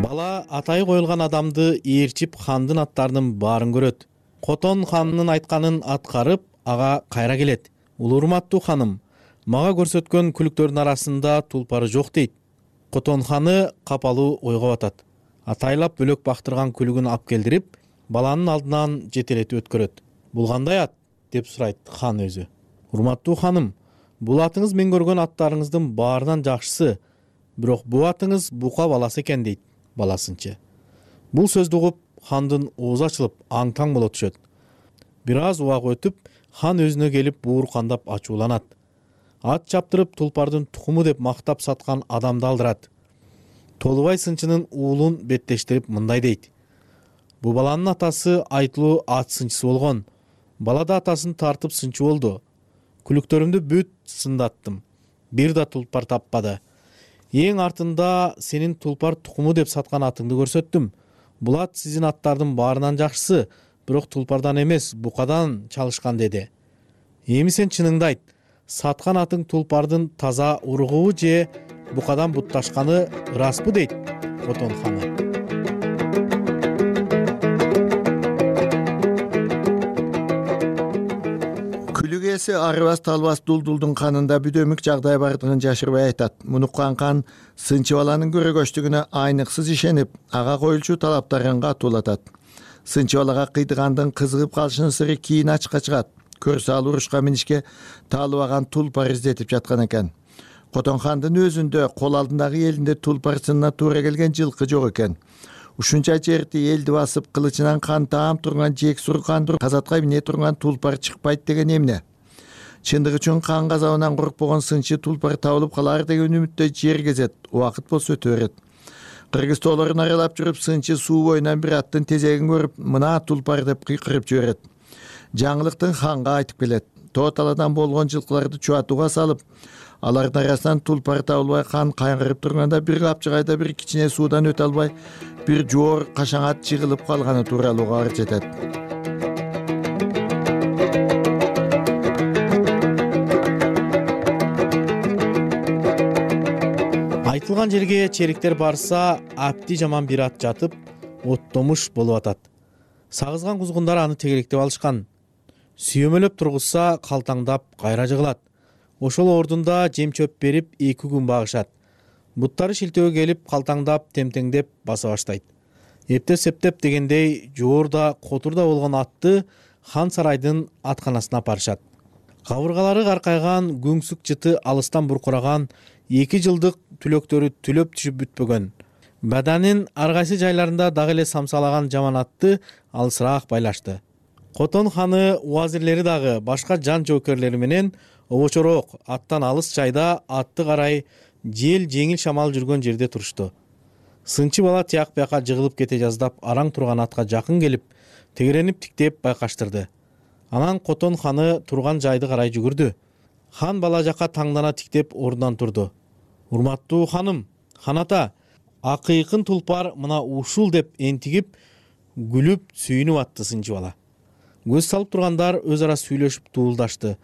Бала атай коюлган адамды ээрчип хандын аттарынын баарын көрөт. Котон ханынын айтканын аткарып, ага кайра келет. Улуу урматтуу ханым, мага көрсөткөн күлүктөрдүн арасында тулпары жок дейт. Котон ханы капалуу ойго батат. Атайлап бөлөк бактырган күлүгүн алып келдирип, баланын алдынан жетелетип өткөрөт. Бул кандай ат? Деп сурайт хан өзү. Урматтуу ханым, бул атыңыз мен көргөн аттарыңыздын баарынан жакшысы, бирок бул атыңыз бука баласы экен дейт баласынчы. Бул сөздү угуп, хандын оозу ачылып, аң-таң боло түшөт. Бир аз убак өтүп, хан өзүнө келип бууркандап ачууланат. Ат чаптырып тулпардын тукуму деп мактап саткан адамды алдырат. Толубай сынчынын уулун беттештирип мындай дейт. Бу баланын атасы айтылуу ат сынчысы болгон. Бала да атасын тартып сынчы болду. Күлүктөрүмдү бүт сындаттым. Бир да тулпар таппады. Эң артында сенин тулпар тукуму деп саткан атыңды көрсөттүм. Бул ат сизин аттардын баарынан жакшысы, бирок тулпардан эмес, букадан чалышкан деди. Эми сен чыныңды айт. Саткан атың тулпардын таза уругубу же букадан бутташканы ыраспы дейт Котон ханы. Күлүк ээси арыбас талбас дулдулдун канында бүдөмүк жагдай бардыгын жашырбай айтат. Муну уккан сынчы баланын көрөгөчтүгүнө айныксыз ишенип, ага коюлчу талаптарын катуулатат. Сынчы балага кыйдыгандын кызыгып калышынын сыры кийин ачыкка чыгат. Көрсө ал урушка минишке таалыбаган тулпар издетип жаткан экен. Котон хандын өзүндө кол алдындагы элинде тулпар сынына туура келген жылкы жок экен. Ушунча жерди элди басып, кылычынан кан таам турган жек сур кандыр казатка мине турган тулпар чыкпайт деген эмне? Чындык үчүн кан газабынан коркпогон сынчы тулпар табылып калар деген үмүттө жер кезет, убакыт болсо өтө берет. Кыргыз тоолорун аралап жүрүп, сынчы суу боюнан бир аттын тезегин көрүп, мына тулпар деп кыйкырып жиберет. Жаңылыктын ханга айтып келет. Тоо таладан болгон жылкыларды чуатууга салып, алардын арасынан тулпар табылбай хан кайгырып турганда бир капчыгайда бир кичине суудан өтө албай, бир жоор кашаңат жыгылып калганы тууралуу кабар жетет. айтылган жерге чериктер барса апти жаман бир ат жатып оттомуш болуп атат. Сагызган кузгундар аны тегеректеп алышкан. Сүйөмөлөп тургузса калтаңдап кайра жыгылат. Ошол ордунда жем чөп берип эки күн багышат. Буттары шилтөөгө келип калтаңдап темтеңдеп баса баштайт. Эптеп септеп дегендей жоорда котурда болгон атты хан сарайдын атканасына апарышат. Кабыргалары каркайган, күңсүк жыты алыстан буркураган, эки жылдык түлөктөрү түлөп түшүп бүтпөгөн. Баданын ар кайсы жайларында дагы эле самсалаган жаман атты алысыраак байлашты. Котон ханы уазирлери дагы башка жан жоокерлери менен обочороок аттан алыс жайда атты карай жел жеңил шамал жүргөн жерде турушту. Сынчы бала тияк бияка жыгылып кете жаздап араң турган атка жакын келип, тегеренип тиктеп байкаштырды. Анан Котон ханы турган жайды карай жүгүрдү. Хан бала жака таңдана тиктеп ордунан турду. Урматтуу ханым, хан ата, акыйкын тулпар мына ушул деп энтигип, күлүп сүйүнүп атты сынчы бала. Көз салып тургандар өз ара сүйлөшүп туулдашты.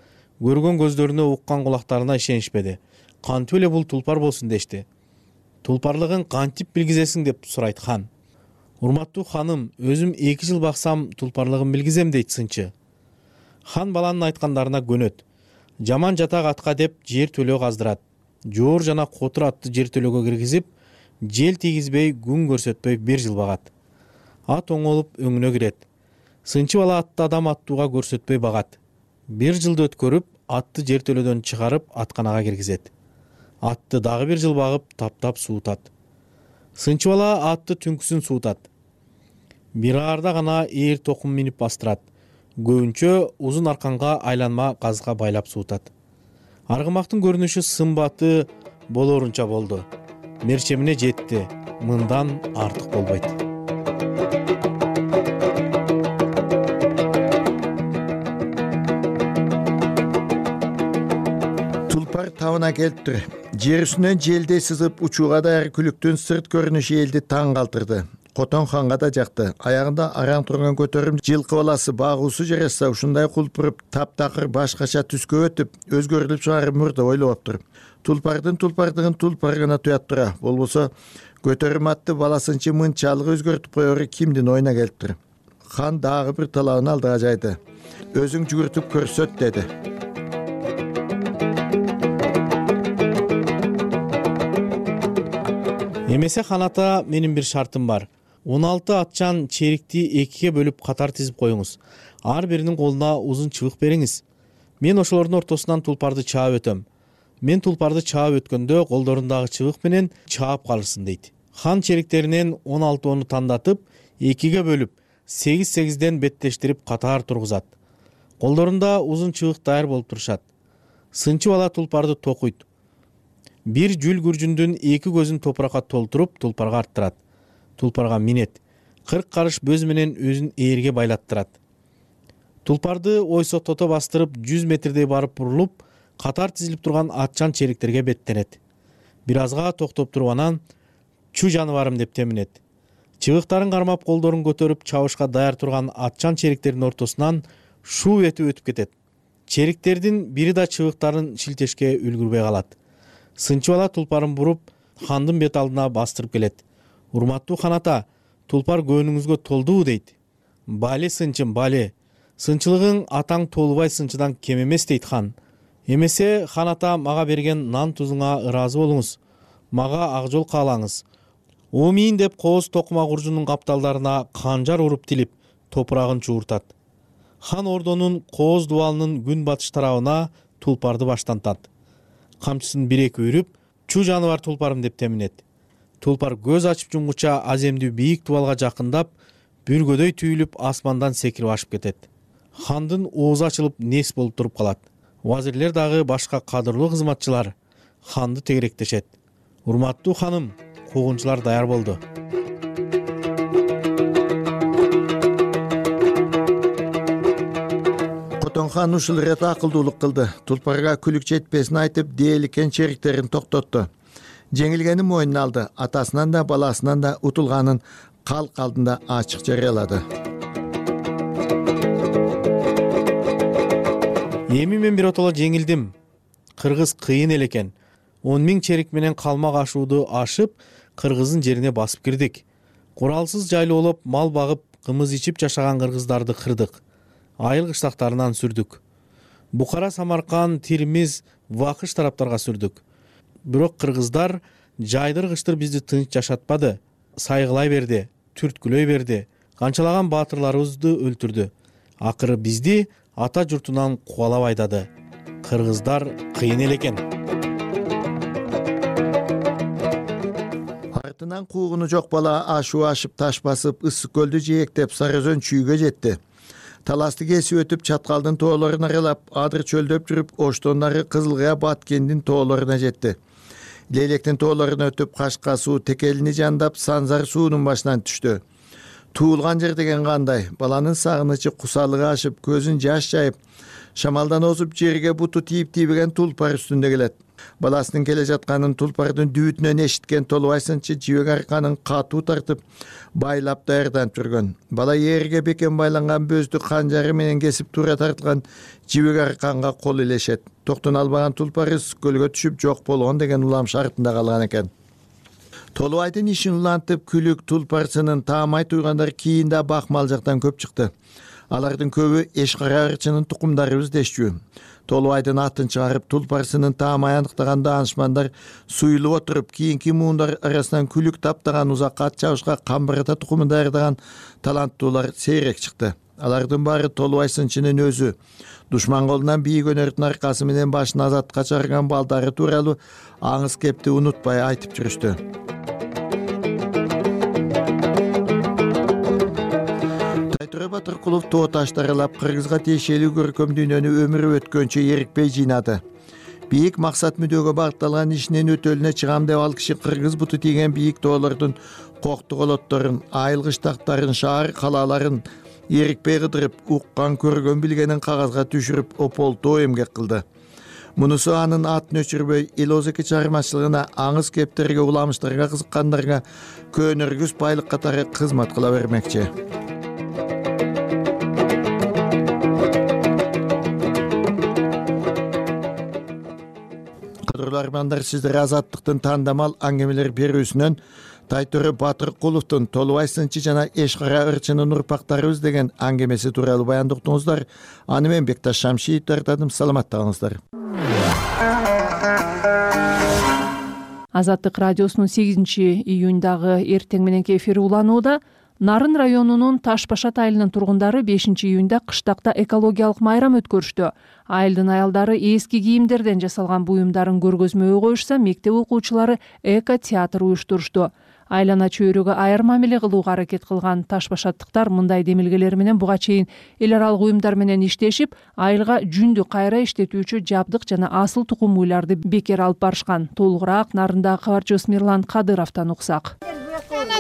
Көргөн көздөрүнө, уккан кулактарына ишенишпеди. Кантип эле бул тулпар болсун дешти. Тулпарлыгын кантип билгизесиң деп сурайт хан. Урматтуу ханым, өзүм эки жыл баксам тулпарлыгын билгизем дейт сынчы. Хан баланын айткандарына көнөт. Жаман жатак атка деп жер төлөө каздырат. Жоор жана котур атты жер төлөөгө киргизип, жел тийгизбей, күн көрсөтпөй бир жыл багат. Ат оңолуп өңүнө кирет. Сынчы бала атты адам аттууга көрсөтпөй багат. Бир жылды өткөрүп, атты жер төлөөдөн чыгарып, атканага киргизет. Атты дагы бир жыл багып, таптап суутат. Сынчы бала атты түнкүсүн суутат. Бир аарда гана ээр токум минип бастырат. Көбүнчө узун арканга айланма газга байлап суутат. Аргымактын көрүнүшү сымбаты болоорунча болду. Мерчемине жетти. Мындан артык болбойт. Тулпар табына келиптир. Жер үстүнөн желдей сызып учууга даяр күлүктүн сырт көрүнүшү элди таң калтырды. Котон ханга да жакты. Аягында араң турган көтөрүм жылкы баласы багуусу жараса ушундай кулпуруп, таптакыр башкача түскө өтүп, өзгөрүлүп чыгарып мурда ойлоптур. Тулпардын тулпардыгын тулпар гана туят тура. Болбосо көтөрүм атты баласынчы мынчалык өзгөртүп коеру кимдин оюна келиптир. Хан дагы бир талабын алдыга жайды. Өзүң жүгүртүп көрсөт деди. Эмесе хан ата, менин бир шартым бар. он алты атчан черикти экиге бөлүп катар тизип коюңуз. Ар биринин колуна узун чыбык бериңиз. Мен ошолордун ортосунан тулпарды чаап өтөм. Мен тулпарды чаап өткөндө колдорундагы чыбык менен чаап калырсың дейт. Хан чериктеринен он алтоону тандатып, экиге бөлүп, сегиз сегизден беттештирип катар тургузат. Колдорунда узун чыбык даяр болуп турушат. Сынчы бала тулпарды токуйт. Бир жүл күржүндүн эки көзүн топуракка толтуруп, тулпарга арттырат. Тулпарга минет. кырк карыш бөз менен өзүн ээрге байлаттырат. Тулпарды ойсоктото бастырып, жүз метрдей барып бурулуп, катар тизилип турган атчан чериктерге беттенет. Бир азга токтоп туруп анан чу жаныбарым деп теминет. Чыбыктарын кармап, колдорун көтөрүп чабышка даяр турган атчан чериктердин ортосунан шуу этип өтүп кетет. Чериктердин бири да чыбыктарын шилтешке үлгүрбөй калат. Сынчы бала тулпарын буруп, хандын бет алдына бастырып келет. Урматтуу хан ата, тулпар көңүлүңүзгө толдубу дейт. Бале сынчым, бале. Сынчылыгың атаң Толубай сынчыдан кем эмес дейт хан. Эмесе хан ата, мага берген нан тузуңа ыраазы болуңуз. Мага ак жол каалаңыз. Омийин деп кооз токума куржунун капталдарына канжар уруп тилип, топурагын чууртат. Хан ордонун кооз дубалынын күн батыш тарабына тулпарды баштантат. Камчысын бир-эки үйрүп, чу жаныбар тулпарым деп теминет. Тулпар көз ачып жумгуча аземдүү бийик дубалга жакындап, бүргөдөй түйүлүп асмандан секирип ашып кетет. Хандын оозу ачылып нес болуп туруп калат. Вазирлер дагы башка кадырлуу кызматчылар ханды тегеректешет. Урматтуу ханым, куугунчулар даяр болду. Котон хан ушул ирет акылдуулук кылды. Тулпарга күлүк жетпесин айтып, дээликкен чериктерин токтотту. Жеңилгени мойнуна алды. Атасынан да баласынан да утулганын калк алдында ачык жарыялады. Эми мен биротоло жеңилдим. Кыргыз кыйын эле экен. он миң черик менен калмак ашууду ашып кыргыздын жерине басып кирдик. Куралсыз жайлоолоп мал багып кымыз ичип жашаган кыргыздарды кырдык. Айыл кыштактарынан сүрдүк. Букара, Самарканд, Тирмиз, Вакыш тараптарга сүрдүк. Бирок кыргыздар жайдыргычтыр бизди тынч жашатпады. Сайгылай берди, түрткүлөй берди. Канчалаган баатырларыбызды өлтүрдү. Акыры бизди ата журтунан кубалап айдады. Кыргыздар кыйын эле экен. Артынан куугуну жок бала ашуу ашып таш басып ысык көлдү жээктеп Сары Өзөн чүйгө жетти. Таласты кесип өтүп Чаткалдын тоолорун аралап, адыр чөлдөп жүрүп, оштон нары Кызылкая Баткендин тоолоруна жетти. Лейлектин тоолорун өтүп Кашка суу Текелини жандап Санзар суунун башынан түштү. Туулган жер деген кандай? Баланын сагынычы кусалыгы ашып, көзүн жаш жайып, шамалдан озуп жерге буту тийип тийбеген тулпар үстүндө келет. Баласынын келе жатканын тулпардын дүүтүнөн эшиткен Толубай сынчы жибек арканын катуу тартып, байлап даярданып жүргөн. Бала ээрге бекен байланган бөздү канжары менен кесип туура тартылган жибек арканга кол илешет. Токтон албаган тулпар ысык көлгө түшүп жок болгон деген улам шартында калган экен. Толубайдын ишин улантып күлүк тулпарсынын таамай туйгандар кийинде бакмал жактан көп чыкты. Алардын көбү эшкара ырчынын тукумдарыбыз дешчү. Толубайдын атын чыгарып тулпарсынын таамай аныктаган даанышмандар суюлуп отуруп, кийинки муундар арасынан күлүк таптаган узак ат чабышка камбырата тукумун даярдаган таланттуулар сейрек чыкты. Алардын баары Толубай сынчынын өзү. Душман колунан бийик өнөрдүн аркасы менен башын азатка чыгарган балдары тууралуу аңыз кепти унутпай айтып жүрүштү. Тайтура Батыркулов тоо таштарылап кыргызга тиешелүү көркөм дүйнөнү өмүрү өткөнчө эрикпей жыйнады. Бийик максат мүдөөгө багытталган ишинин өтөлүнө чыгам деп ал киши кыргыз буту тийген бийик тоолордун коктук олотторун, айыл кыштактарын, шаар калааларын эрикпей кыдырып, уккан, көргөн, билгенин кагазга түшүрүп, ополтоо эмгек кылды. Мунусу анын атын өчүрбөй, эл озеки чыгармачылыгына, аңыз кептерге, уламыштарга кызыккандарга көөнөргүс байлык катары кызмат кыла бермекчи. Кадырлуу армандар, сиздер Азаттыктын тандамал аңгемелер берүүсүнөн Тайтура Батыркуловдун Толубай сынчы жана Эшкара ырчынын урпактарыбыз деген аңгемеси тууралуу баяндоо уктуңуздар. Аны мен Бекташ Шамшиев тартадым. Саламатта калыңыздар. Азаттык радиосунун сегизинчи июньдагы эртең мененки эфири уланууда. Нарын районунун Таш Башат айылынын тургундары бешинчи июньда кыштакта экологиялык майрам өткөрүштү. Айылдын аялдары эски кийимдерден жасалган буюмдарын көргөзмөгө коюшса, мектеп окуучулары эко театр уюштурушту. Айлана чөйрөгө аяр мамиле кылууга аракет кылган Таш Башаттыктар мындай демилгелер менен буга чейин эл аралык уюмдар менен иштешип, айылга жүндү кайра иштетүүчү жабдык жана асыл тукум уйларды бекер алып барышкан. Толугураак нарындагы кабарчыбыз Мирлан Кадыровдон уксак.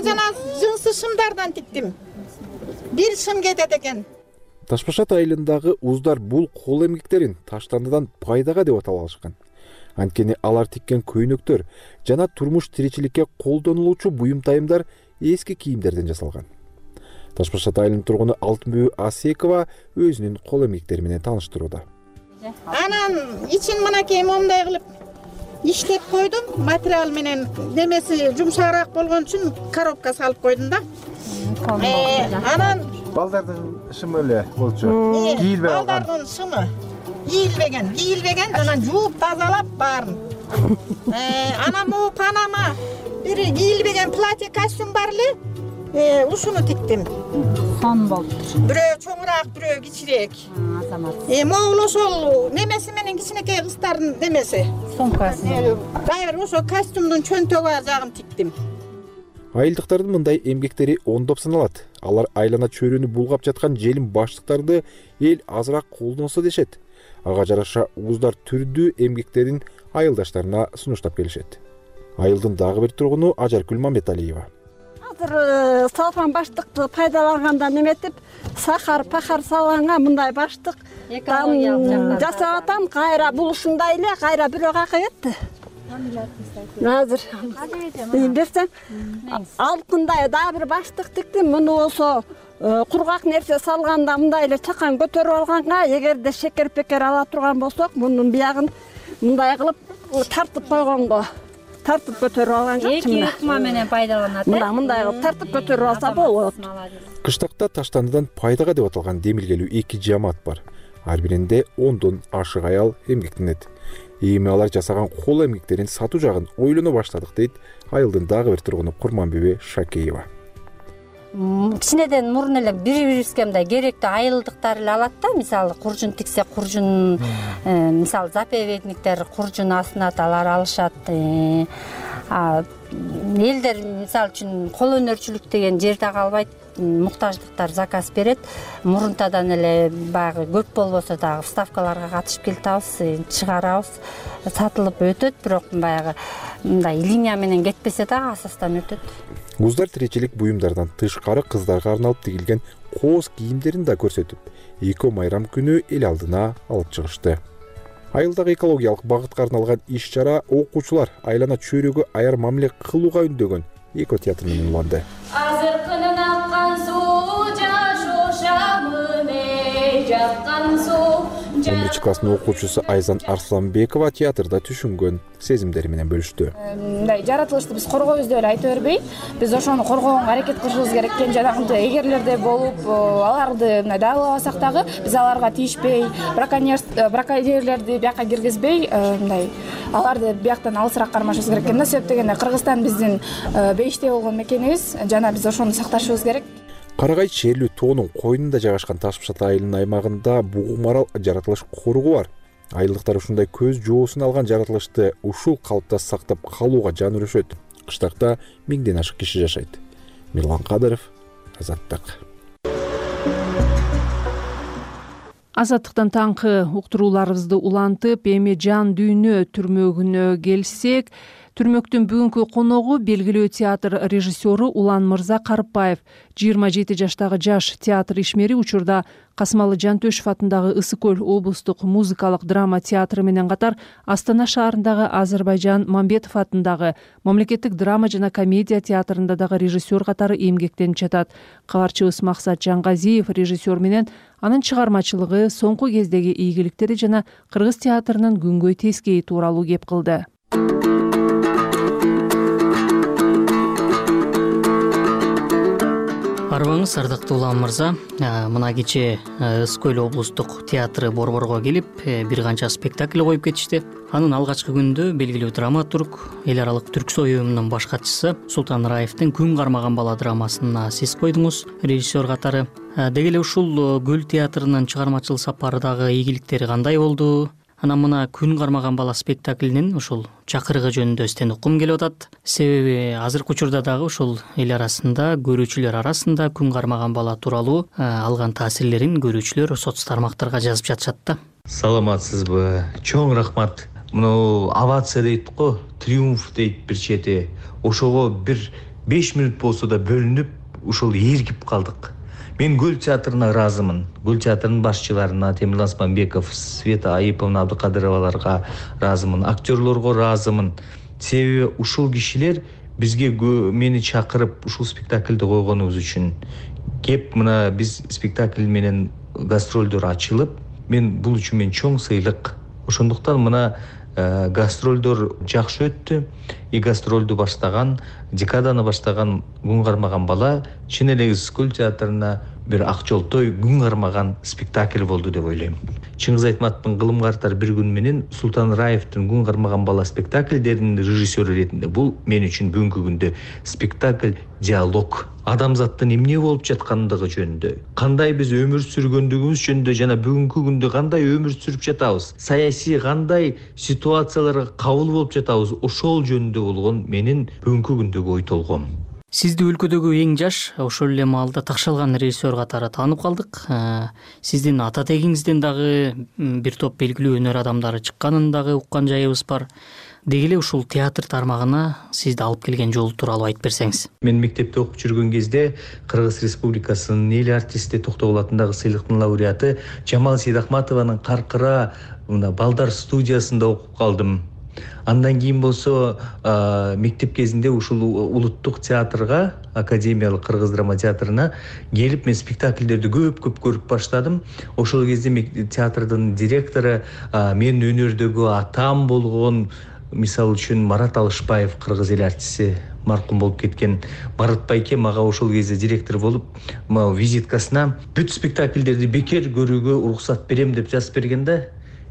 Жана жынсы шымдардан тиктим. Бир шым кетет экен. Таш Башат айылындагы уздар бул кол эмгектерин таштандыдан пайдага деп аталышкан. Анткени алар тиккен көйнөктөр жана турмуш тиричиликке колдонулуучу буюм тайымдар эски кийимдерден жасалган. Таш Башат айылынын тургуну Алтынбүбү Асекова өзүнүн кол эмгектери менен тааныштырууда. Анан ичин мынакей момундай кылып иштеп койдум, материал менен немеси жумшагыраак болгон үчүн коробка салып койдум да. Анан балдардын шымы эле болчу. Кийилбей калган. Балдардын шымы кийилбеген, кийилбеген, анан жууп тазалап баарын. Анан могу панама бир кийилбеген платье костюм бар эле, ушуну тиктим. Сон болуптур. Бирөө чоңураак, бирөө кичирээк. Э, могул ошол немеси менен кичинекей кыздардын немеси. Сумкасы. Дайыр ошо костюмдун чөнтөгү жагын тиктим. Айылдыктардын мындай эмгектери ондоп саналат. Алар айлана чөйрөнү булгап жаткан желим баштыктарды эл азыраак колдонсо дешет. Ага жараша уздар түрдүү эмгектерин айылдаштарына сунуштап келишет. Айылдын дагы бир тургуну Ажаркүл Мамбеталиева. Азыр салган баштыкты пайдалангандан эметип, сахар, пахар салганга мындай баштык жасап атам, кайра бул ушундай эле, кайра бирөө какыбетти. Азыр берсем, алтындай дагы бир баштык тиктим. Муну болсо кургак нерсе салганда мындай эле чакан көтөрүп алганга, эгерде шекер пекер ала турган болсок, мунун биягын мындай кылып тартып койгонго тартып көтөрүп алган жокчу. Эки ыкма менен пайдаланат. Мына мындай кылып тартып көтөрүп алса болот. Кыштакта таштандыдан пайдага деп аталган демилгелүү эки жамаат бар. Ар биринде ондон ашык аял эмгектенет. Эми алар жасаган кол эмгектерин сатуу жагын ойлоно баштадык дейт айылдын дагы бир тургуну Курманбебе Шакеева. Кичинеден мурун эле бири-бирибизге мындай керектүү айылдыктар эле алат да, мисалы куржун тиксе куржун, мисалы заповедниктер куржун асынат, алар алышат. Элдер мисалы үчүн кол өнөрчүлүк деген жерде калбайт, муктаждыктар заказ берет. Мурунтадан эле баягы көп болбосо дагы вставкаларга катышып келатабыз, чыгарабыз, сатылып өтөт, бирок баягы мындай линия менен кетпесе дагы асастан өтөт. Куздар тиричилик буюмдардан тышкары кыздарга арналып тигилген кооз кийимдерин да көрсөтүп, эко майрам күнү эл алдына алып чыгышты. Айылдагы экологиялык багытка арналган иш-чара окуучулар айлана чөйрөгө аяр мамиле кылууга үндөгөн эко театр менен уланды. Азыркынын аккан суу жашошамыне жаткан суу. он биринчи класстын окуучусу Айзан Арсланбекова театрда түшүнгөн сезимдери менен бөлүштү. Мындай жаратылышты биз коргойбуз деп эле айта бербей, биз ошону коргоого аракет кылышыбыз керек экен. Жанагындай эгерлердей болуп, аларды мындай дагалабасак дагы биз аларга тийишпей, браконьерлерди бияка киргизбей, мындай аларды бияктан алысыраак кармашыбыз керек экен да. Себеп дегенде Кыргызстан биздин бейиштей болгон мекенибиз, жана биз ошону сакташыбыз керек. Карагай черлүү тоонун койнунда жайгашкан Ташпышат айылынын аймагында бугу марал жаратылыш коргу бар. Айылдыктар ушундай көз жоосун алган жаратылышты ушул калыпта сактап калууга жан өрүшөт. Кыштакта миңден ашык киши жашайт. Мирлан Кадыров, Азаттык. Азаттыктан таңкы уктурууларыбызды улантып, эми жан дүйнө түрмөгүнө келсек, түрмөктүн бүгүнкү коногу белгилүү театр режиссеру Улан Мырза Карыпбаев. жыйырма жети жаштагы жаш театр ишмери учурда Касымалы Жантөшев атындагы Ысык көл облустук музыкалык драма театры менен катар Астана шаарындагы Азырбайжан Мамбетов атындагы мамлекеттик драма жана комедия театрында дагы режиссер катары эмгектенип жатат. Кабарчыбыз Максат Жангазиев режиссер менен анын чыгармачылыгы, соңку кездеги ийгиликтери жана кыргыз театрынын күнгөй тескейи тууралуу кеп кылды. Арбаңыз ардактуу Улан Мырза, мына кечээ Ысык көл облустук театры Борборго келип бир канча спектакль коюп кетишти. Анын алгачкы күндө белгилүү драматург, эл аралык түрксой уюмунун баш катчысы Султан Раевдин Күн кармаган бала драмасына сиз койдуңуз режиссер катары. Деги эле ушул Көл театрынын чыгармачыл сапары дагы ийгиликтери кандай болду? Анан мына Күн кармаган бала спектаклинин ушул чакырыгы жөнүндө сизден уккум келип атат. Себеби азыркы учурда дагы ушул эл арасында, көрүүчүлөр арасында Күн кармаган бала тууралуу алган таасирлерин көрүүчүлөр соц тармактарга жазып жатышат да. Саламатсызбы? Чоң рахмат. Мына овация дейт го, триумф дейт бир чети. Ошого бир беш мүнөт болсо да бөлүнүп, ушул эргип калдык. Мен Көл театрына ыраазымын. Көл театрынын башчыларына Темирлан Османбеков, Света Айыповна, Абдыкадыроваларга ыраазымын, актерлорго ыраазымын. Себеби ушул кишилер бизге мени чакырып ушул спектакльди койгонубуз үчүн. Кеп мына биз спектакль менен гастролдор ачылып, мен бул үчүн мен чоң сыйлык. Ошондуктан мына гастролдор жакшы өттү. И гастролду баштаган, декаданы баштаган Күн кармаган бала чын эле Ысык көл театрына бир ак жолтой күн кармаган спектакль болду деп ойлойм. Чыңгыз Айтматовдун Кылымга артар бир күн менен Султан Раевдин Күн кармаган бала спектакльдеринин режиссеру ретинде бул мен үчүн бүгүнкү күндө спектакль диалог. Адамзаттын эмне болуп жаткандыгы жөнүндө, кандай биз өмүр сүргөндүгүбүз жөнүндө жана бүгүнкү күндө кандай өмүр сүрүп жатабыз, саясий кандай ситуацияларга кабыл болуп жатабыз, ошол жөнүндө болгон менин бүгүнкү күндөгү ой толгом. Сизди өлкөдөгү эң жаш, ошол эле маалда такшалган режиссер катары таанып калдык. Сиздин ата тегиңизден дагы бир топ белгилүү өнөр адамдары чыкканын дагы уккан жайыбыз бар. Деги эле ушул театр тармагына сизди алып келген жол тууралуу айтып берсеңиз. Мен мектепте окуп жүргөн кезде Кыргыз Республикасынын эл артисти Токтогул атындагы сыйлыктын лауреаты Жамал Сейдахматованын Каркыра мына балдар студиясында окуп калдым. Андан кийин болсо мектеп кезинде ушул улуттук театрга, Академиялык Кыргыз драма театрына келип мен спектакльдерди көп-көп көрүп баштадым. Ошол кезде театрдын директору мен өнөрдөгү атам болгон мисалы үчүн Марат Алышбаев кыргыз эл артисти маркум болуп кеткен Марат байке мага ошол кезде директор болуп могу визиткасына бүт спектакльдерди бекер көрүүгө уруксат берем деп жазып берген да.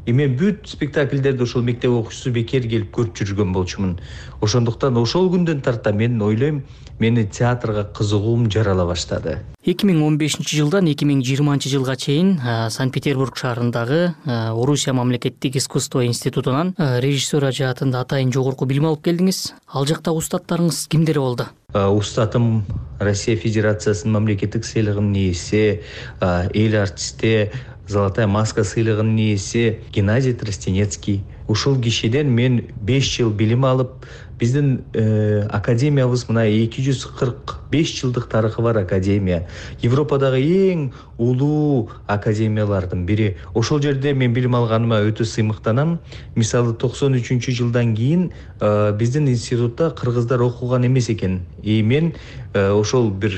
И мен бүт спектакльдерди ошол мектеп окуучусу бекер келип көрүп жүргөн болчумун. Ошондуктан ошол күндөн тарта мен ойлойм, мени театрга кызыгуум жарала баштады. эки миң он бешинчи жылдан эки миң жыйырманчы жылга чейин Санкт-Петербург шаарындагы Орусия мамлекеттик искусство институтунан режиссер жаатында атайын жогорку билим алып келдиңиз. Ал жактагы устаттарыңыз кимдер болду? Устатым Россия Федерациясынын мамлекеттик сыйлыгынын ээси, эл артисти, Золотая маска сыйлыгынын ээси Геннадий Тростенецкий. Ушул кишиден мен беш жыл билим алып, биздин э, академиябыз мына эки жүз кырк беш жылдык тарыхы бар академия. Европадагы эң улуу академиялардын бири. Ошол жерде мен билим алганыма өтө сыймыктанам. Мисалы токсон үчүнчү жылдан кийин э, биздин институтта кыргыздар окуган эмес экен. И мен э, ошол бир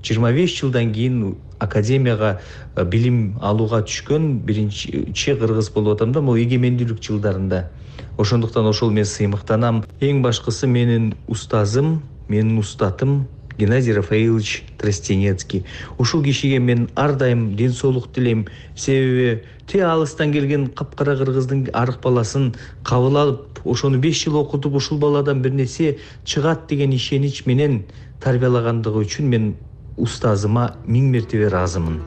жыйырма беш жылдан кийин академияга билим алууга түшкөн биринчи кыргыз болуп атам да, могу эгемендүүлүк жылдарында. Ошондуктан ошол мен сыймыктанам. Эң башкысы менин устазым, менин устатым Геннадий Рафаилович Тростенецкий. Ушул кишиге мен ар дайым ден соолук тилейм. Себеби те алыстан келген капкара кыргыздын арык баласын кабыл алып, ошону беш жыл окутуп, ушул баладан бир нерсе чыгат деген ишенич менен тарбиялагандыгы үчүн мен устазыма миң мертебе ыраазымын.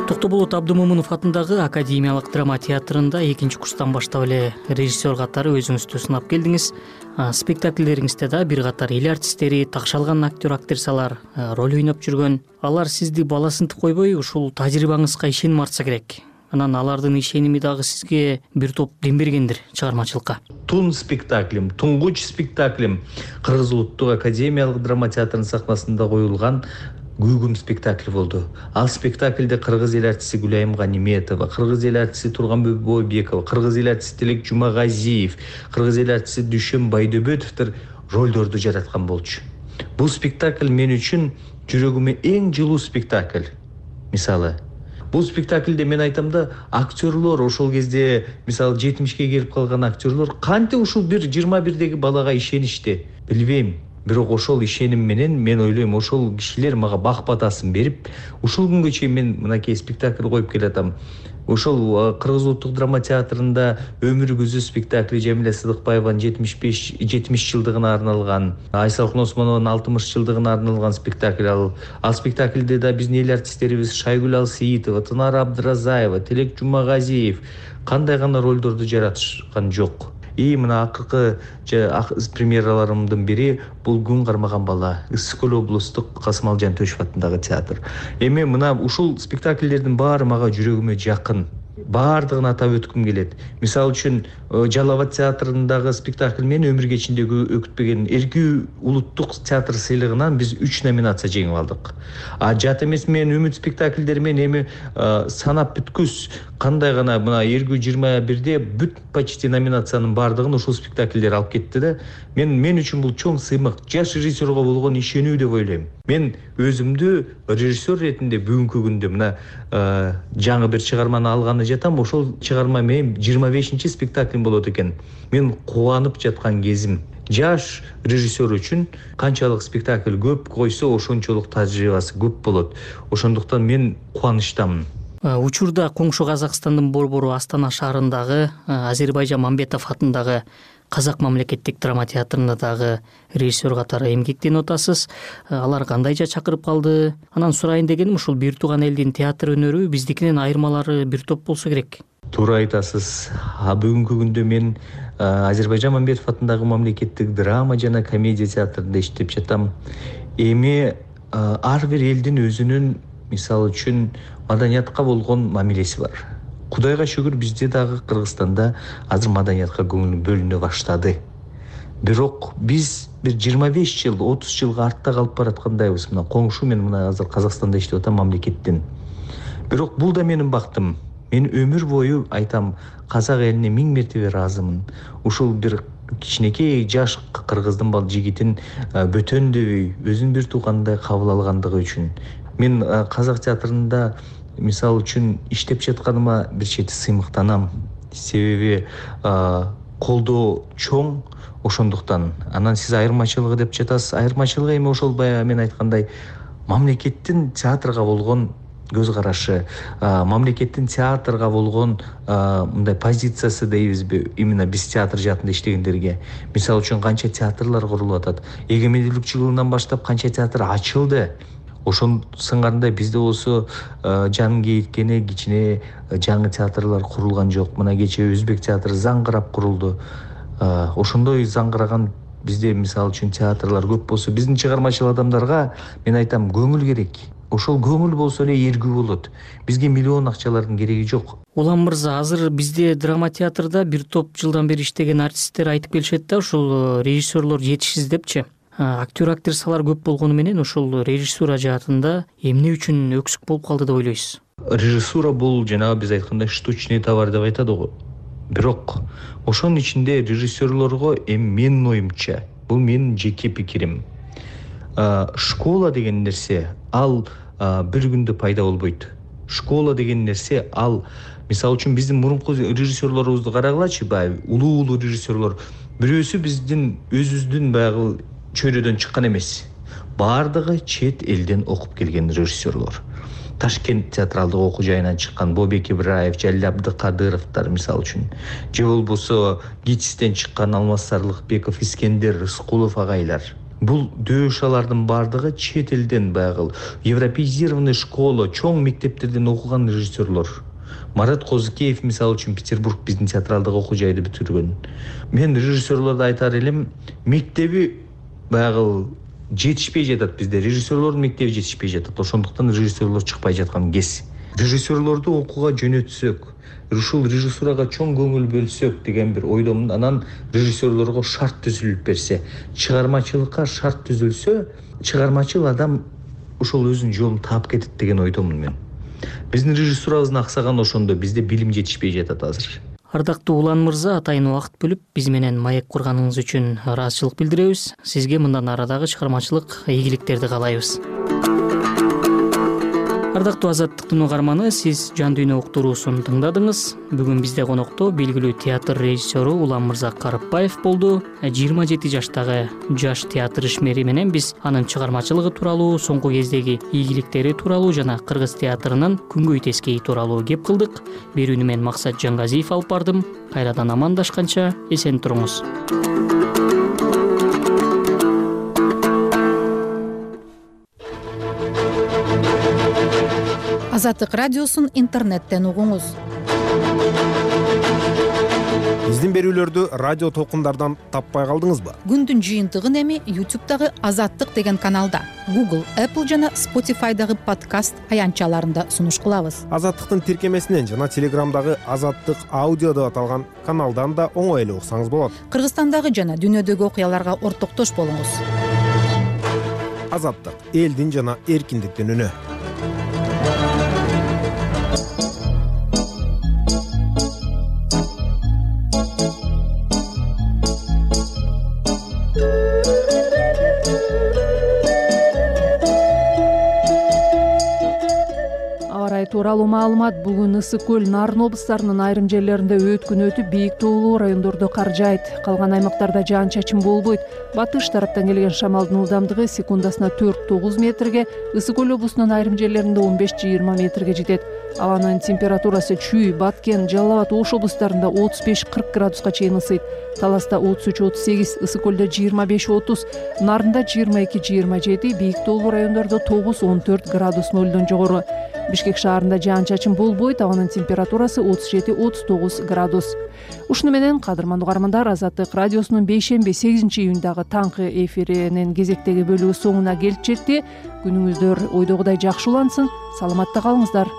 Токтоболот Абдымомунов атындагы Академиялык драма театрында экинчи курстан баштап эле режиссер катары өзүңүздү сынап келдиңиз. Спектакльдериңизде да бир катар эл артисттери, такшалган актер актрисалар роль ойноп жүргөн. Алар сизди баласынтып койбой, ушул тажрыйбаңызга ишеним артса керек. Анан алардын ишеними дагы сизге бир топ дем бергендир чыгармачылыкка. Тун спектаклим, туңгуч спектаклим Кыргыз улуттук академиялык драма театрынын сахнасында коюлган Гүгүм спектакли болду. Ал спектакльде кыргыз эл артисти Гүлайым Ганиметова, кыргыз эл артисти Турганбек Бойбекова, кыргыз эл артисти Тилек Жумагазиев, кыргыз эл артисти Дүшөн Байдөбөтовдор ролдорду жараткан болчу. Бул спектакль мен үчүн жүрөгүмө эң жылуу спектакль. Мисалы, бул спектакльде мен айтам да, актерлор ошол кезде мисалы жетимишке келип калган актерлор кантип ушул бир жыйырма бирдеги балага ишеништи, билбейм. Бирок ошол ишеним менен мен ойлойм, ошол кишилер мага бак батасын берип, ушул күнгө чейин мен мынакей спектакль коюп келатам. Ошол Кыргыз улуттук драма театрында Өмүр күзү спектакли Жамиля Сыдыкбаеванын жетимиш беш жетимиш жылдыгына арналган, Айсалкын Осмонованын алтымыш жылдыгына арналган спектакль. Ал, ал спектакльде да биздин эл артисттерибиз Шайгүл Алсиитова, Тынар Абдыразаева, Тилек Жумагазиев кандай гана ролдорду жаратышкан жок. И мына акыркы премьераларымдын бири бул Күн кармаган бала, Ысык Көл облустук Касымал Жантөшев атындагы театр. Эми мына ушул спектакльдердин баары мага жүрөгүмө жакын. Баардыгын атап өткүм келет. Мисалы үчүн Жалал Абад театрындагы спектакль мен өмүр кечиндеги өкүтпеген Эрки улуттук театр сыйлыгынан биз үч номинация жеңип алдык. А жат эмес мен үмүт спектакльдери менен эми санап бүткүс кандай гана мына Эрки жыйырма бирде бүт почти номинациянын баардыгын ушул спектакльдер алып кетти да. Мен мен үчүн бул чоң сыймык, жаш режиссерго болгон ишенүү деп ойлойм. Мен өзүмдү режиссер ретинде бүгүнкү күндө мына жаңы бир чыгарманы алганы жатам, ошол чыгарма менин жыйырма бешинчи спектаклим болот экен. Мен кубанып жаткан кезим. Жаш режиссер үчүн канчалык спектакль көп койсо, ошончолук тажрыйбасы көп болот. Ошондуктан мен кубанычтамын. Учурда коңшу Казакстандын борбору Астана шаарындагы Азербайжан Мамбетов атындагы Казак мамлекеттик драма театрында дагы режиссер катары эмгектенип атасыз. Алар кандайча чакырып калды? Анан сурайын дегеним, ушул бир тууган элдин театр өнөрү биздикинен айырмалары бир топ болсо керек. Туура айтасыз. А бүгүнкү күндө мен Азербайжан Мамбетов атындагы мамлекеттик драма жана комедия театрында иштеп жатам. Эми ар бир элдин өзүнүн мисалы үчүн маданиятка болгон мамилеси бар. Кудайга шүгүр, бизде дагы Кыргызстанда азыр маданиятка көңүл бөлүнө баштады. Бирок биз бир жыйырма беш жыл, отуз жылга артта калып бараткандайбыз. Мына коңшу мен мына азыр Казакстанда иштеп атам мамлекеттен. Бирок бул да менин бактым. Мен өмүр бою айтам, казак элине миң мертебе ыраазымын. Ушул бир кичинекей жаш кыргыздын бал жигитин бөтөндөбөй, өзүн бир туугандай кабыл алгандыгы үчүн. Мен казак театрында мисалы үчүн иштеп жатканыма бир чети сыймыктанам. себеби колдоо чоң, ошондуктан анан сиз айырмачылыгы деп жатасыз. Айырмачылыгы эми ошол баягы мен айткандай мамлекеттин театрга болгон көз карашы, мамлекеттин театрга болгон мындай позициясы дейбизби, именно биз театр жаатында иштегендерге. Мисалы үчүн канча театрлар курулуп атат, эгемендүүлүк жылынан баштап канча театр ачылды. Ошон сыңарында бизде болсо жан кейткени кичине жаңы театрлар курулган жок. Мына кечээ Өзбек театры заңгырап курулду. Ошондой заңгыраган бизде мисалы үчүн театрлар көп болсо, биздин чыгармачыл адамдарга мен айтам, көңүл керек. Ошол көңүл болсо эле эргүү болот. Бизге миллион акчалардын кереги жок. Улам мырза, азыр бизде драма театрда бир топ жылдан бери иштеген артисттер айтып келишет да, ушул режиссерлор жетишсиз депчи. Актер актрисалар көп болгону менен ушул режиссура жаатында эмне үчүн өксүк болуп калды деп ойлойсуз? Режиссура бул жанагы биз айткандай штучный товар деп айтады го. Бирок ошонун ичинде режиссерлорго эми менин оюмча, бул менин жеке пикирим. Школа деген нерсе ал бир күндө пайда болбойт. Школа деген нерсе ал, мисалы үчүн биздин мурунку режиссерлорубузду карагылачы, баягы улуу-улуу режиссерлор. Бирөөсү биздин өзүбүздүн баягы чөйрөдөн чыккан эмес. Бардыгы чет элден окуп келген режиссерлор. Ташкент театралдык окуу жайынан чыккан Бобек Ибраев, Жалил Абдыкадыровдор мисалы үчүн. Же болбосо ГИТИСтен чыккан Алмаз Сарлыкбеков, Искендер Рыскулов агайлар. Бул дөшалардын бардыгы чет элден баягы европеизированный школа, чоң мектептерден окуган режиссерлор. Марат Козыкеев мисалы үчүн Петербург биздин театралдык окуу жайды бүтүргөн. Мен режиссерлорду айтар элем, мектеби баягы жетишпей жатат бизде, режиссерлордун мектеби жетишпей жатат. Ошондуктан режиссерлор чыкпай жаткан кез. Режиссерлорду окууга жөнөтсөк, ушул режиссурага чоң көңүл бөлсөк деген бир ойдомун. Анан режиссерлорго шарт түзүлүп берсе, чыгармачылыкка шарт түзүлсө, чыгармачыл адам ушул өзүнүн жолун таап кетет деген ойдомун мен. Биздин режиссурабыздын аксаганы ошондо, бизде билим жетишпей жатат азыр. Ардактуу Улан мырза, атайын убакыт бөлүп биз менен маек курганыңыз үчүн ыраазычылык билдиребиз. Сизге мындан арадагы чыгармачылык ийгиликтерди каалайбыз. Ардактуу Азаттыктын угарманы, сиз Жан дүйнө уктуруусун тыңдадыңыз. Бүгүн бизде конокто белгилүү театр режиссеру Улан мырза Карыпбаев болду. жыйырма жети жаштагы жаш театр ишмери менен биз анын чыгармачылыгы тууралуу, соңку кездеги ийгиликтери тууралуу жана кыргыз театрынын күнгөй тескейи тууралуу кеп кылдык. Берүүнү мен Максат Жангазиев алып бардым. Кайрадан амандашканча эсен туруңуз. Азаттык радиосун интернеттен угуңуз. Биздин берүүлөрдү радио толкундардан таппай калдыңызбы? Күндүн жыйынтыгын эми ютубтагы Азаттык деген каналда, Google, Apple жана Spotify'дагы подкаст аянтчаларында сунуш кылабыз. Азаттыктын тиркемесинен жана Телеграмдагы Азаттык аудио деп аталган каналдан да оңой эле уксаңыз болот. Кыргызстандагы жана дүйнөдөгү окуяларга ортоктош болуңуз. Азаттык, элдин жана эркиндиктин үнү. тууралуу маалымат. Бүгүн Ысык көл, Нарын облустарынын айрым жерлеринде өткүн өтүп, бийик тоолуу райондордо кар жаайт. Калган аймактарда жаан-чачын болбойт. Батыш тараптан келген шамалдын ылдамдыгы секундасына төрт тогуз метрге, Ысык көл облусунун айрым жерлеринде он беш жыйырма метрге жетет. Абанын температурасы Чүй, Баткен, Жалал абад, Ош облустарында отуз беш кырк градуска чейин ысыйт. Таласта отуз үч отуз сегиз, Ысык көлдө жыйырма беш отуз, Нарында жыйырма эки жыйырма жети, бийик тоолуу райондордо тогуз он төрт градус нөлдөн жогору. Бишкек шаарында жаан-чачын болбойт, абанын температурасы отуз жети отуз тогуз градус. Ушуну менен кадырмандуу угармандар, Азаттык радиосунун бейшемби сегизинчи июндагы таңкы эфиринин кезектеги бөлүгү соңуна келип жетти. Күнүңүздөр ойдогудай жакшы улансын, саламатта калыңыздар.